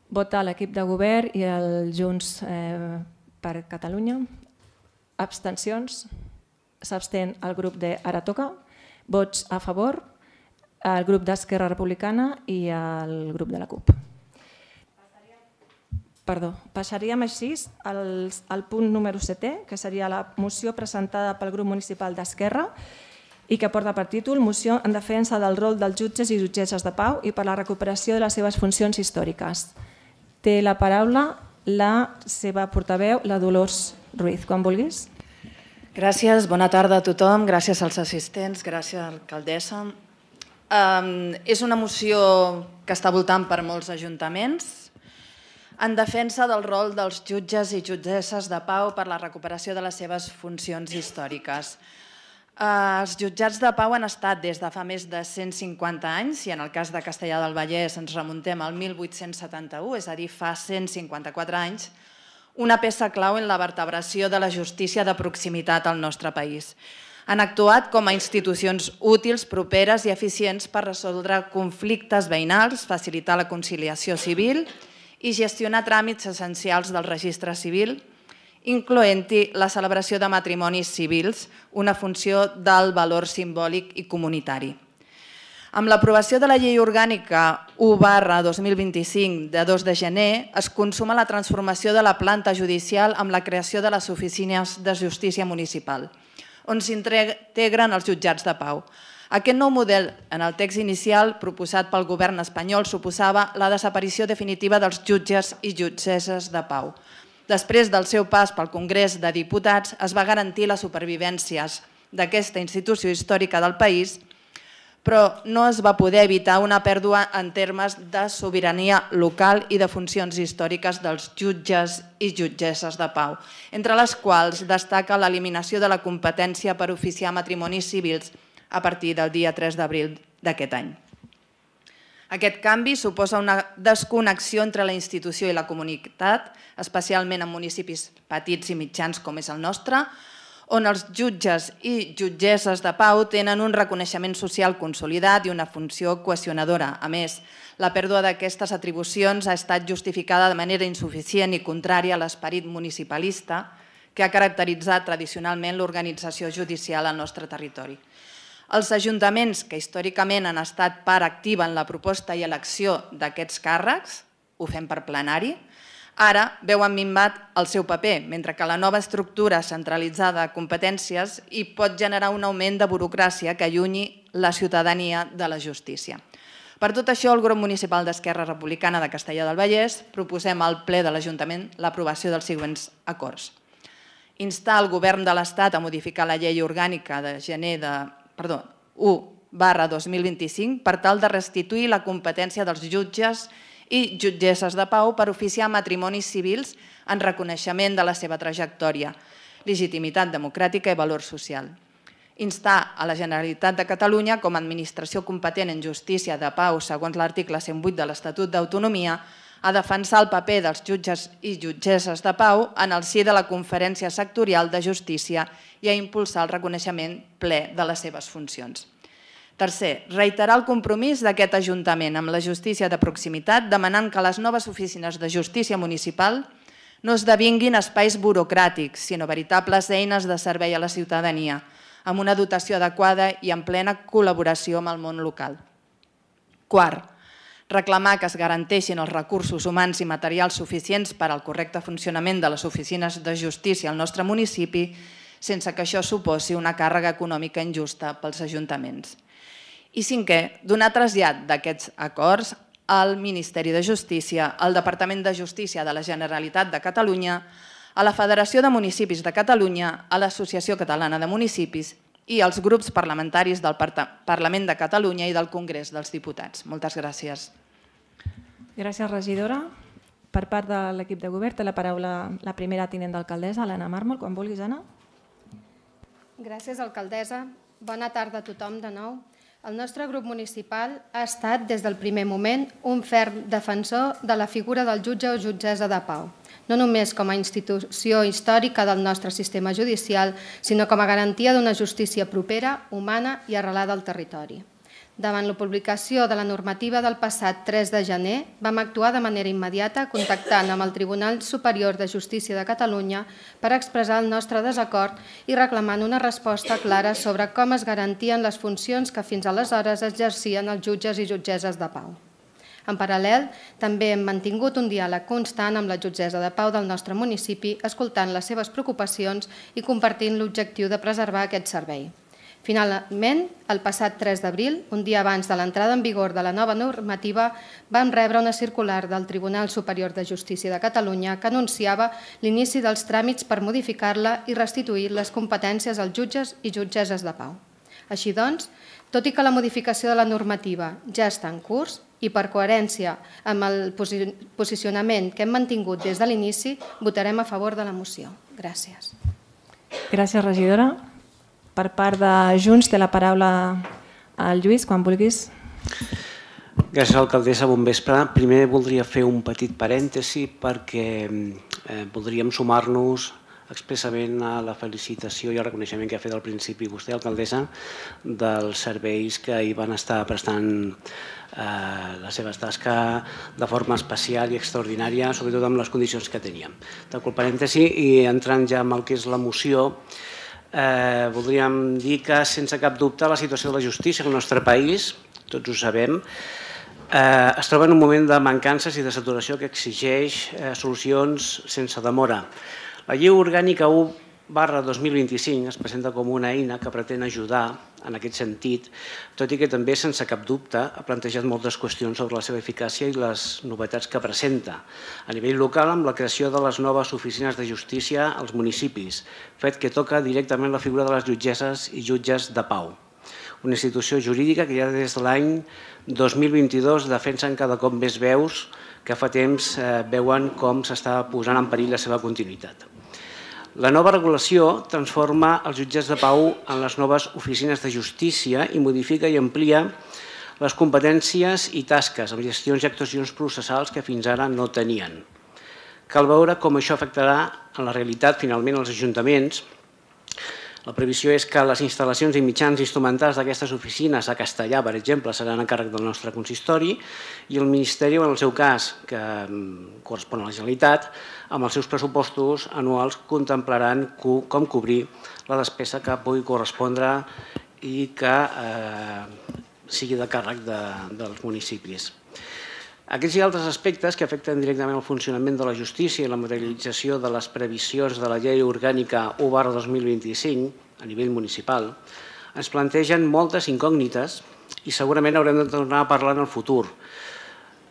Vota l'equip de govern i el Junts eh, per Catalunya. Abstencions. S'abstén el grup de Ara Toca. Vots a favor. El grup d'Esquerra Republicana i el grup de la CUP. Passaríem Perdó, passaríem així al, al punt número setè, que seria la moció presentada pel grup municipal d'Esquerra i que porta per títol Moció en defensa del rol dels jutges i jutgesses de pau i per la recuperació de les seves funcions històriques. Té la paraula la seva portaveu, la Dolors Ruiz. Quan vulguis. Gràcies, bona tarda a tothom, gràcies als assistents, gràcies a l'alcaldessa. Um, és una moció que està voltant per molts ajuntaments en defensa del rol dels jutges i jutgesses de pau per la recuperació de les seves funcions històriques. Uh, els jutjats de pau han estat des de fa més de cent cinquanta anys i en el cas de Castellar del Vallès ens remuntem al mil vuit-cents setanta-u, és a dir, fa cent cinquanta-quatre anys, una peça clau en la vertebració de la justícia de proximitat al nostre país. Han actuat com a institucions útils, properes i eficients per resoldre conflictes veïnals, facilitar la conciliació civil i gestionar tràmits essencials del registre civil, incloent-hi la celebració de matrimonis civils, una funció d'alt valor simbòlic i comunitari. Amb l'aprovació de la Llei Orgànica u barra dos mil vint-i-cinc de dos de gener es consuma la transformació de la planta judicial amb la creació de les oficines de justícia municipal, on s'integren els jutjats de pau. Aquest nou model, en el text inicial proposat pel govern espanyol, suposava la desaparició definitiva dels jutges i jutgesses de pau. Després del seu pas pel Congrés de Diputats, es va garantir la supervivència d'aquesta institució històrica del país, però no es va poder evitar una pèrdua en termes de sobirania local i de funcions històriques dels jutges i jutgesses de pau, entre les quals destaca l'eliminació de la competència per oficiar matrimonis civils a partir del dia tres d'abril d'aquest any. Aquest canvi suposa una desconnexió entre la institució i la comunitat, especialment en municipis petits i mitjans com és el nostre, on els jutges i jutgesses de pau tenen un reconeixement social consolidat i una funció cohesionadora. A més, la pèrdua d'aquestes atribucions ha estat justificada de manera insuficient i contrària a l'esperit municipalista que ha caracteritzat tradicionalment l'organització judicial al nostre territori. Els ajuntaments que històricament han estat part activa en la proposta i elecció d'aquests càrrecs, ho fem per plenari, ara veuen minvat el seu paper, mentre que la nova estructura centralitzada de competències hi pot generar un augment de burocràcia que allunyi la ciutadania de la justícia. Per tot això, el grup municipal d'Esquerra Republicana de Castellar del Vallès proposem al ple de l'Ajuntament l'aprovació dels següents acords. Instar el govern de l'Estat a modificar la llei orgànica de gener de, perdó, u barra dos mil vint-i-cinc per tal de restituir la competència dels jutges i jutgesses de pau per oficiar matrimonis civils en reconeixement de la seva trajectòria, legitimitat democràtica i valor social. Instar a la Generalitat de Catalunya, com a administració competent en justícia de pau segons l'article cent vuit de l'Estatut d'Autonomia, a defensar el paper dels jutges i jutgesses de pau en el si de la Conferència Sectorial de Justícia i a impulsar el reconeixement ple de les seves funcions. Tercer, reiterar el compromís d'aquest Ajuntament amb la justícia de proximitat, demanant que les noves oficines de justícia municipal no esdevinguin espais burocràtics, sinó veritables eines de servei a la ciutadania, amb una dotació adequada i en plena col·laboració amb el món local. Quart, reclamar que es garanteixin els recursos humans i materials suficients per al correcte funcionament de les oficines de justícia al nostre municipi, sense que això suposi una càrrega econòmica injusta pels ajuntaments. I cinquè, donar trasllat d'aquests acords al Ministeri de Justícia, al Departament de Justícia de la Generalitat de Catalunya, a la Federació de Municipis de Catalunya, a l'Associació Catalana de Municipis i als grups parlamentaris del Parlament de Catalunya i del Congrés dels Diputats. Moltes gràcies. Gràcies, regidora. Per part de l'equip de govern té la paraula la primera tinent d'alcaldessa, Elena Mármol. Quan vulguis, Anna. Gràcies, alcaldessa. Bona tarda a tothom de nou. El nostre grup municipal ha estat, des del primer moment, un ferm defensor de la figura del jutge o jutgessa de pau, no només com a institució històrica del nostre sistema judicial, sinó com a garantia d'una justícia propera, humana i arrelada al territori. Davant la publicació de la normativa del passat tres de gener, vam actuar de manera immediata contactant amb el Tribunal Superior de Justícia de Catalunya per expressar el nostre desacord i reclamant una resposta clara sobre com es garantien les funcions que fins aleshores exercien els jutges i jutgesses de pau. En paral·lel, també hem mantingut un diàleg constant amb la jutgessa de pau del nostre municipi, escoltant les seves preocupacions i compartint l'objectiu de preservar aquest servei. Finalment, el passat tres d'abril, un dia abans de l'entrada en vigor de la nova normativa, vam rebre una circular del Tribunal Superior de Justícia de Catalunya que anunciava l'inici dels tràmits per modificar-la i restituir les competències als jutges i jutgesses de pau. Així doncs, tot i que la modificació de la normativa ja està en curs i per coherència amb el posicionament que hem mantingut des de l'inici, votarem a favor de la moció. Gràcies. Gràcies, regidora. Per part de Junts té la paraula el Lluís, quan vulguis. Gràcies, alcaldessa. Bon vespre. Primer voldria fer un petit parèntesi perquè eh, voldríem sumar-nos expressament a la felicitació i el reconeixement que ha fet al principi vostè, alcaldessa, dels serveis que hi van estar prestant eh, la seva tasca de forma especial i extraordinària, sobretot amb les condicions que teníem. Tanco el parèntesi i entrant ja en el que és la moció, Eh, voldríem dir que, sense cap dubte, la situació de la justícia al nostre país, tots ho sabem, eh, es troba en un moment de mancances i de saturació que exigeix eh, solucions sense demora. La Llei Orgànica u barra dos mil vint-i-cinc es presenta com una eina que pretén ajudar en aquest sentit, tot i que també, sense cap dubte, ha plantejat moltes qüestions sobre la seva eficàcia i les novetats que presenta. A nivell local, amb la creació de les noves oficines de justícia als municipis, fet que toca directament la figura de les jutgesses i jutges de pau. Una institució jurídica que ja des de l'any dos mil vint-i-dos defensen cada cop més veus que fa temps eh, veuen com s'està posant en perill la seva continuïtat. La nova regulació transforma els jutjats de pau en les noves oficines de justícia i modifica i amplia les competències i tasques amb gestions i actuacions processals que fins ara no tenien. Cal veure com això afectarà en la realitat finalment als ajuntaments. La previsió és que les instal·lacions i mitjans instrumentals d'aquestes oficines a castellà, per exemple, seran a càrrec del nostre consistori i el Ministeri, en el seu cas, que correspon a la Generalitat, amb els seus pressupostos anuals contemplaran com cobrir la despesa que pugui correspondre i que sigui de càrrec dels municipis. Aquests i altres aspectes que afecten directament el funcionament de la justícia i la materialització de les previsions de la Llei Orgànica u barra dos mil vint-i-cinc a nivell municipal ens plantegen moltes incògnites i segurament haurem de tornar a parlar en el futur.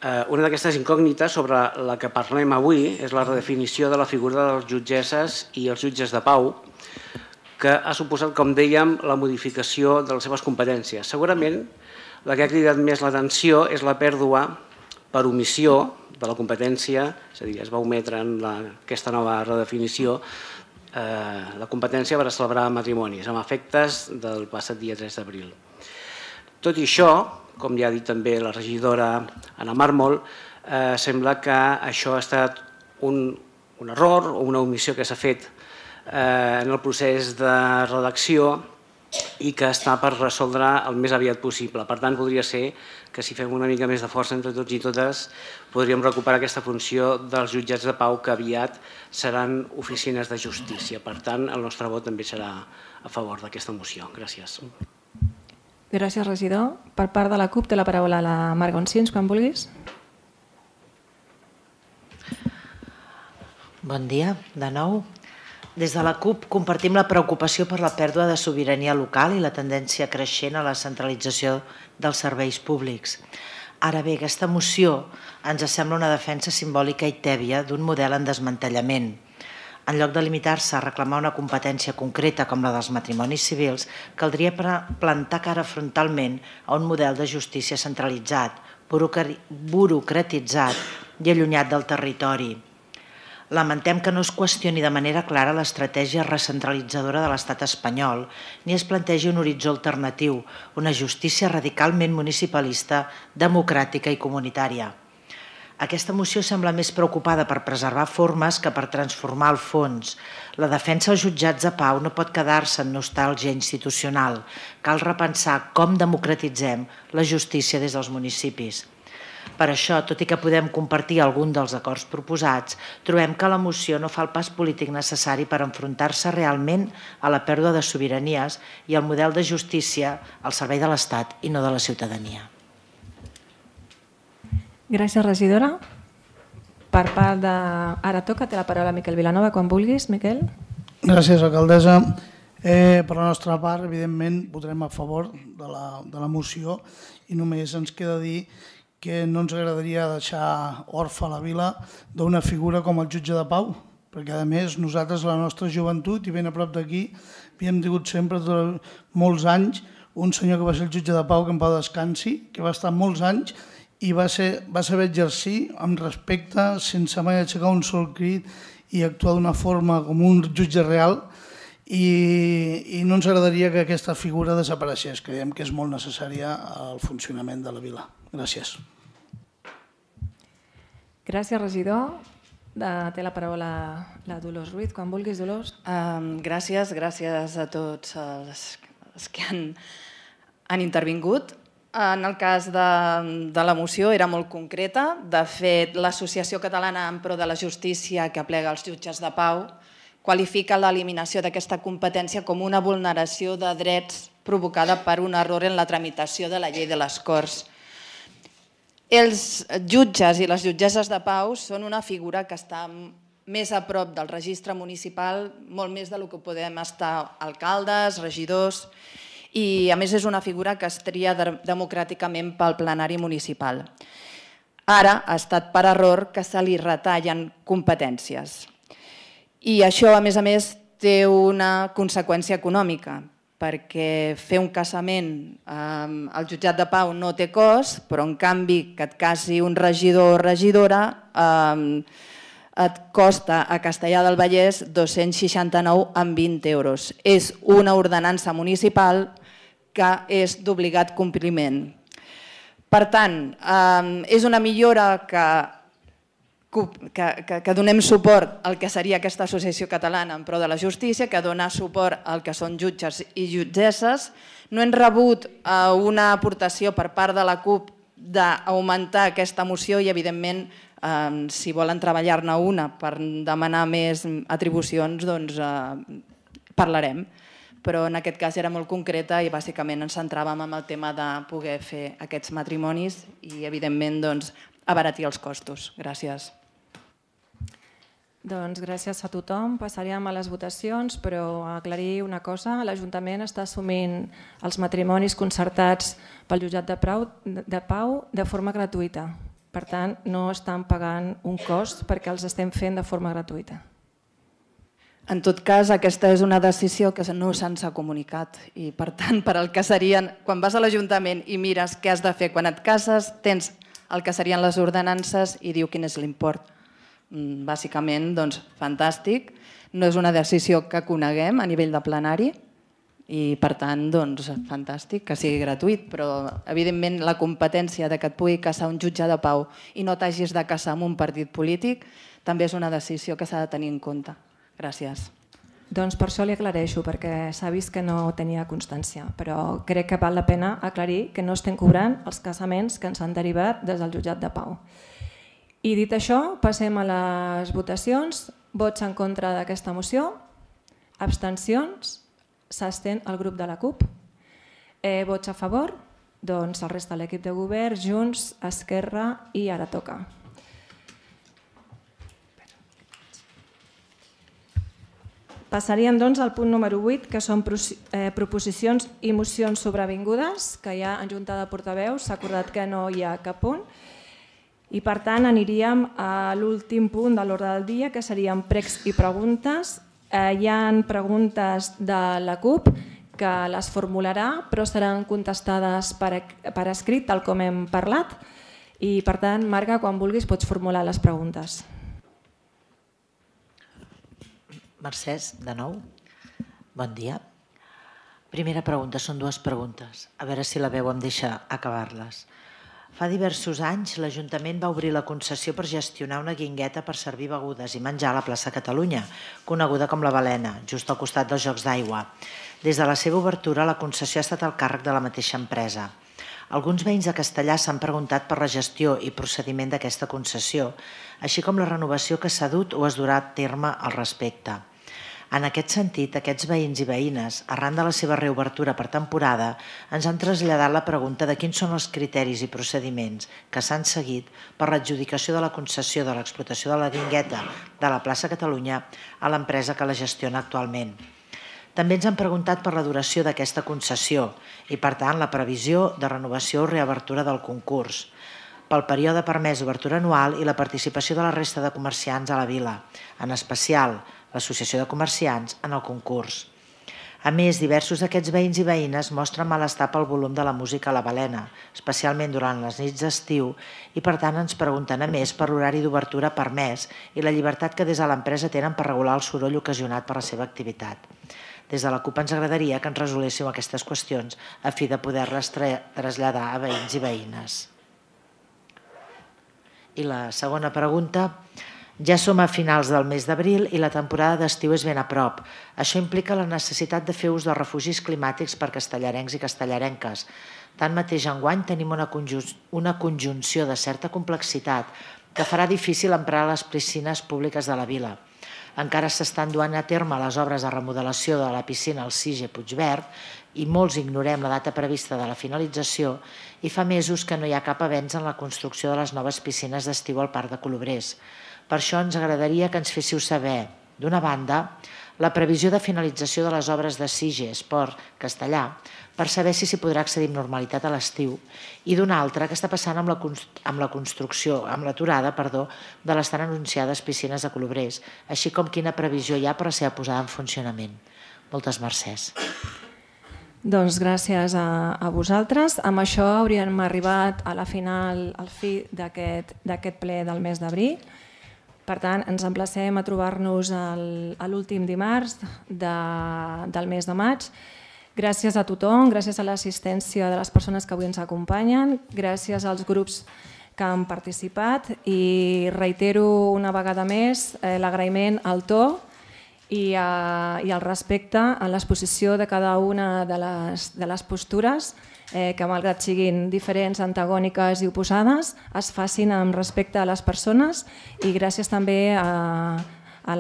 Una d'aquestes incògnites sobre la que parlem avui és la redefinició de la figura de les jutgesses i els jutges de pau, que ha suposat, com dèiem, la modificació de les seves competències. Segurament la que ha cridat més l'atenció és la pèrdua per omissió de la competència, és a dir, es va ometre en aquesta nova redefinició la competència per a celebrar matrimonis, amb efectes del passat dia tres d'abril. Tot i això, com ja ha dit també la regidora Anna Mármol, sembla que això ha estat un error o una omissió que s'ha fet en el procés de redacció i que està per resoldre el més aviat possible. Per tant, podria ser que si fem una mica més de força entre tots i totes podríem recuperar aquesta funció dels jutjats de pau que aviat seran oficines de justícia. Per tant, el nostre vot també serà a favor d'aquesta moció. Gràcies. Gràcies, regidor. Per part de la CUP té la paraula la Marc Gonçins, quan vulguis. Bon dia, de nou. Des de la CUP compartim la preocupació per la pèrdua de sobirania local i la tendència creixent a la centralització dels serveis públics. Ara bé, aquesta moció ens sembla una defensa simbòlica i tèbia d'un model en desmantellament. En lloc de limitar-se a reclamar una competència concreta com la dels matrimonis civils, caldria plantar cara frontalment a un model de justícia centralitzat, burocratitzat i allunyat del territori. Lamentem que no es qüestioni de manera clara l'estratègia recentralitzadora de l'estat espanyol ni es plantegi un horitzó alternatiu, una justícia radicalment municipalista, democràtica i comunitària. Aquesta moció sembla més preocupada per preservar formes que per transformar el fons. La defensa als jutjats de pau no pot quedar-se en nostàlgia institucional. Cal repensar com democratitzem la justícia des dels municipis. Per això, tot i que podem compartir algun dels acords proposats, trobem que la moció no fa el pas polític necessari per enfrontar-se realment a la pèrdua de sobiranies i al model de justícia al servei de l'Estat i no de la ciutadania. Gràcies, regidora. Per part de... Ara toca, té la paraula Miquel Vilanova, quan vulguis, Miquel. Gràcies, alcaldessa. Eh, per la nostra part, evidentment, votarem a favor de la, de la moció i només ens queda dir que no ens agradaria deixar orfa la vila d'una figura com el jutge de pau, perquè a més nosaltres, la nostra joventut i ben a prop d'aquí, havíem tingut sempre durant molts anys un senyor que va ser el jutge de pau, que en pau descansi, que va estar molts anys i va, ser, va saber exercir amb respecte, sense mai aixecar un sol crit i actuar d'una forma com un jutge real, i, i no ens agradaria que aquesta figura desapareixés. Creiem que és molt necessària al funcionament de la vila. Gràcies. Gràcies, regidor. Té la paraula la Dolors Ruiz. Quan vulguis, Dolors. Um, gràcies, gràcies a tots els, els que han, han intervingut. En el cas de, de la moció era molt concreta. De fet, l'Associació Catalana en Pro de la Justícia, que aplega els jutges de pau, qualifica l'eliminació d'aquesta competència com una vulneració de drets provocada per un error en la tramitació de la llei de les Corts. Els jutges i les jutgesses de pau són una figura que està més a prop del registre municipal, molt més del que podem estar alcaldes, regidors, i a més és una figura que es tria democràticament pel plenari municipal. Ara ha estat per error que se li retallen competències. I això, a més a més, té una conseqüència econòmica, perquè fer un casament al jutjat de pau no té cost, però en canvi que et casi un regidor o regidora et costa a Castellar del Vallès dos-cents seixanta-nou coma vint euros. És una ordenança municipal que és d'obligat compliment. Per tant, és una millora que Que, que, que donem suport al que seria aquesta Associació Catalana en Pro de la Justícia, que dona suport al que són jutges i jutgesses. No hem rebut una aportació per part de la CUP d'augmentar aquesta moció i, evidentment, eh, si volen treballar-ne una per demanar més atribucions, doncs eh, parlarem. Però en aquest cas era molt concreta i bàsicament ens centràvem en el tema de poder fer aquests matrimonis i, evidentment, doncs, abaratir els costos. Gràcies. Doncs gràcies a tothom. Passaríem a les votacions, però aclarir una cosa. L'Ajuntament està assumint els matrimonis concertats pel jutjat de pau de forma gratuïta. Per tant, no estan pagant un cost perquè els estem fent de forma gratuïta. En tot cas, aquesta és una decisió que no se'ns ha comunicat i, per tant, per al que serien, quan vas a l'Ajuntament i mires què has de fer quan et cases, tens el que serien les ordenances i diu quin és l'import. Bàsicament, doncs, fantàstic. No és una decisió que coneguem a nivell de plenari i, per tant, doncs, fantàstic que sigui gratuït, però, evidentment, la competència de que et pugui casar un jutge de pau i no t'hagis de casar amb un partit polític també és una decisió que s'ha de tenir en compte. Gràcies. Doncs per això li aclareixo, perquè s'ha vist que no tenia constància, però crec que val la pena aclarir que no estem cobrant els casaments que ens han derivat des del jutjat de pau. I dit això, passem a les votacions. Vots en contra d'aquesta moció, abstencions, s'abstén el grup de la CUP. Eh, vots a favor, doncs el resta de l'equip de govern, Junts, Esquerra i Ara Toca. Passaríem doncs al punt número vuit, que són proposicions i mocions sobrevingudes, que ja en Junta de Portaveus s'ha acordat que no hi ha cap punt. I per tant aniríem a l'últim punt de l'ordre del dia, que serien pregs i preguntes. Hi ha preguntes de la CUP que les formularà, però seran contestades per escrit, tal com hem parlat. I per tant, Marga, quan vulguis pots formular les preguntes. Mercès, de nou. Bon dia. Primera pregunta, són dues preguntes. A veure si la veu em deixa acabar-les. Fa diversos anys l'Ajuntament va obrir la concessió per gestionar una guingueta per servir begudes i menjar a la plaça Catalunya, coneguda com la Balena, just al costat dels Jocs d'Aigua. Des de la seva obertura, la concessió ha estat al càrrec de la mateixa empresa. Alguns veïns de Castellar s'han preguntat per la gestió i procediment d'aquesta concessió, així com la renovació que s'ha dut o es durà a terme al respecte. En aquest sentit, aquests veïns i veïnes, arran de la seva reobertura per temporada, ens han traslladat la pregunta de quins són els criteris i procediments que s'han seguit per l'adjudicació de la concessió de l'explotació de la guingueta de la plaça Catalunya a l'empresa que la gestiona actualment. També ens han preguntat per la duració d'aquesta concessió i, per tant, la previsió de renovació o reobertura del concurs, pel període permès d'obertura anual i la participació de la resta de comerciants a la vila, en especial l'Associació de Comerciants, en el concurs. A més, diversos d'aquests veïns i veïnes mostren malestar pel volum de la música a la Balena, especialment durant les nits d'estiu, i per tant ens pregunten a més per l'horari d'obertura permès i la llibertat que des de l'empresa tenen per regular el soroll ocasionat per la seva activitat. Des de la CUP ens agradaria que ens resolguéssiu aquestes qüestions a fi de poder-les traslladar a veïns i veïnes. I la segona pregunta: ja som a finals del mes d'abril i la temporada d'estiu és ben a prop. Això implica la necessitat de fer ús dels refugis climàtics per castellarencs i castellarenques. Tanmateix, enguany tenim una conjunció de certa complexitat que farà difícil emprar les piscines públiques de la vila. Encara s'estan duent a terme les obres de remodelació de la piscina al Sige Puigverd i molts ignorem la data prevista de la finalització i fa mesos que no hi ha cap avenç en la construcció de les noves piscines d'estiu al Parc de Colobrers. Per això ens agradaria que ens féssiu saber, d'una banda, la previsió de finalització de les obres de Sige Esport Castellà, per saber si s'hi podrà accedir amb normalitat a l'estiu, i d'una altra, què està passant amb la, amb la construcció, amb l'aturada, perdó, de les tan anunciades piscines de Colobrers, així com quina previsió hi ha per la seva posada en funcionament. Moltes mercès. Doncs gràcies a, a vosaltres. Amb això hauríem arribat a la final, al fi d'aquest ple del mes d'abril. Per tant, ens emplacem a trobar-nos a l'últim dimarts de, del mes de maig. Gràcies a tothom, gràcies a l'assistència de les persones que avui ens acompanyen, gràcies als grups que han participat i reitero una vegada més eh, l'agraïment al to i, a, i al respecte a l'exposició de cada una de les, de les postures eh, que, malgrat siguin diferents, antagòniques i oposades, es facin amb respecte a les persones i gràcies també a, a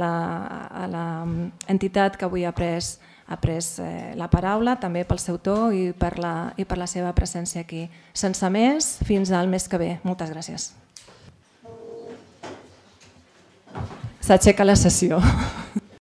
l'entitat que avui ha pres, ha pres eh, la paraula, també pel seu to i per, la, i per la seva presència aquí. Sense més, fins al mes que ve. Moltes gràcies. S'aixeca la sessió.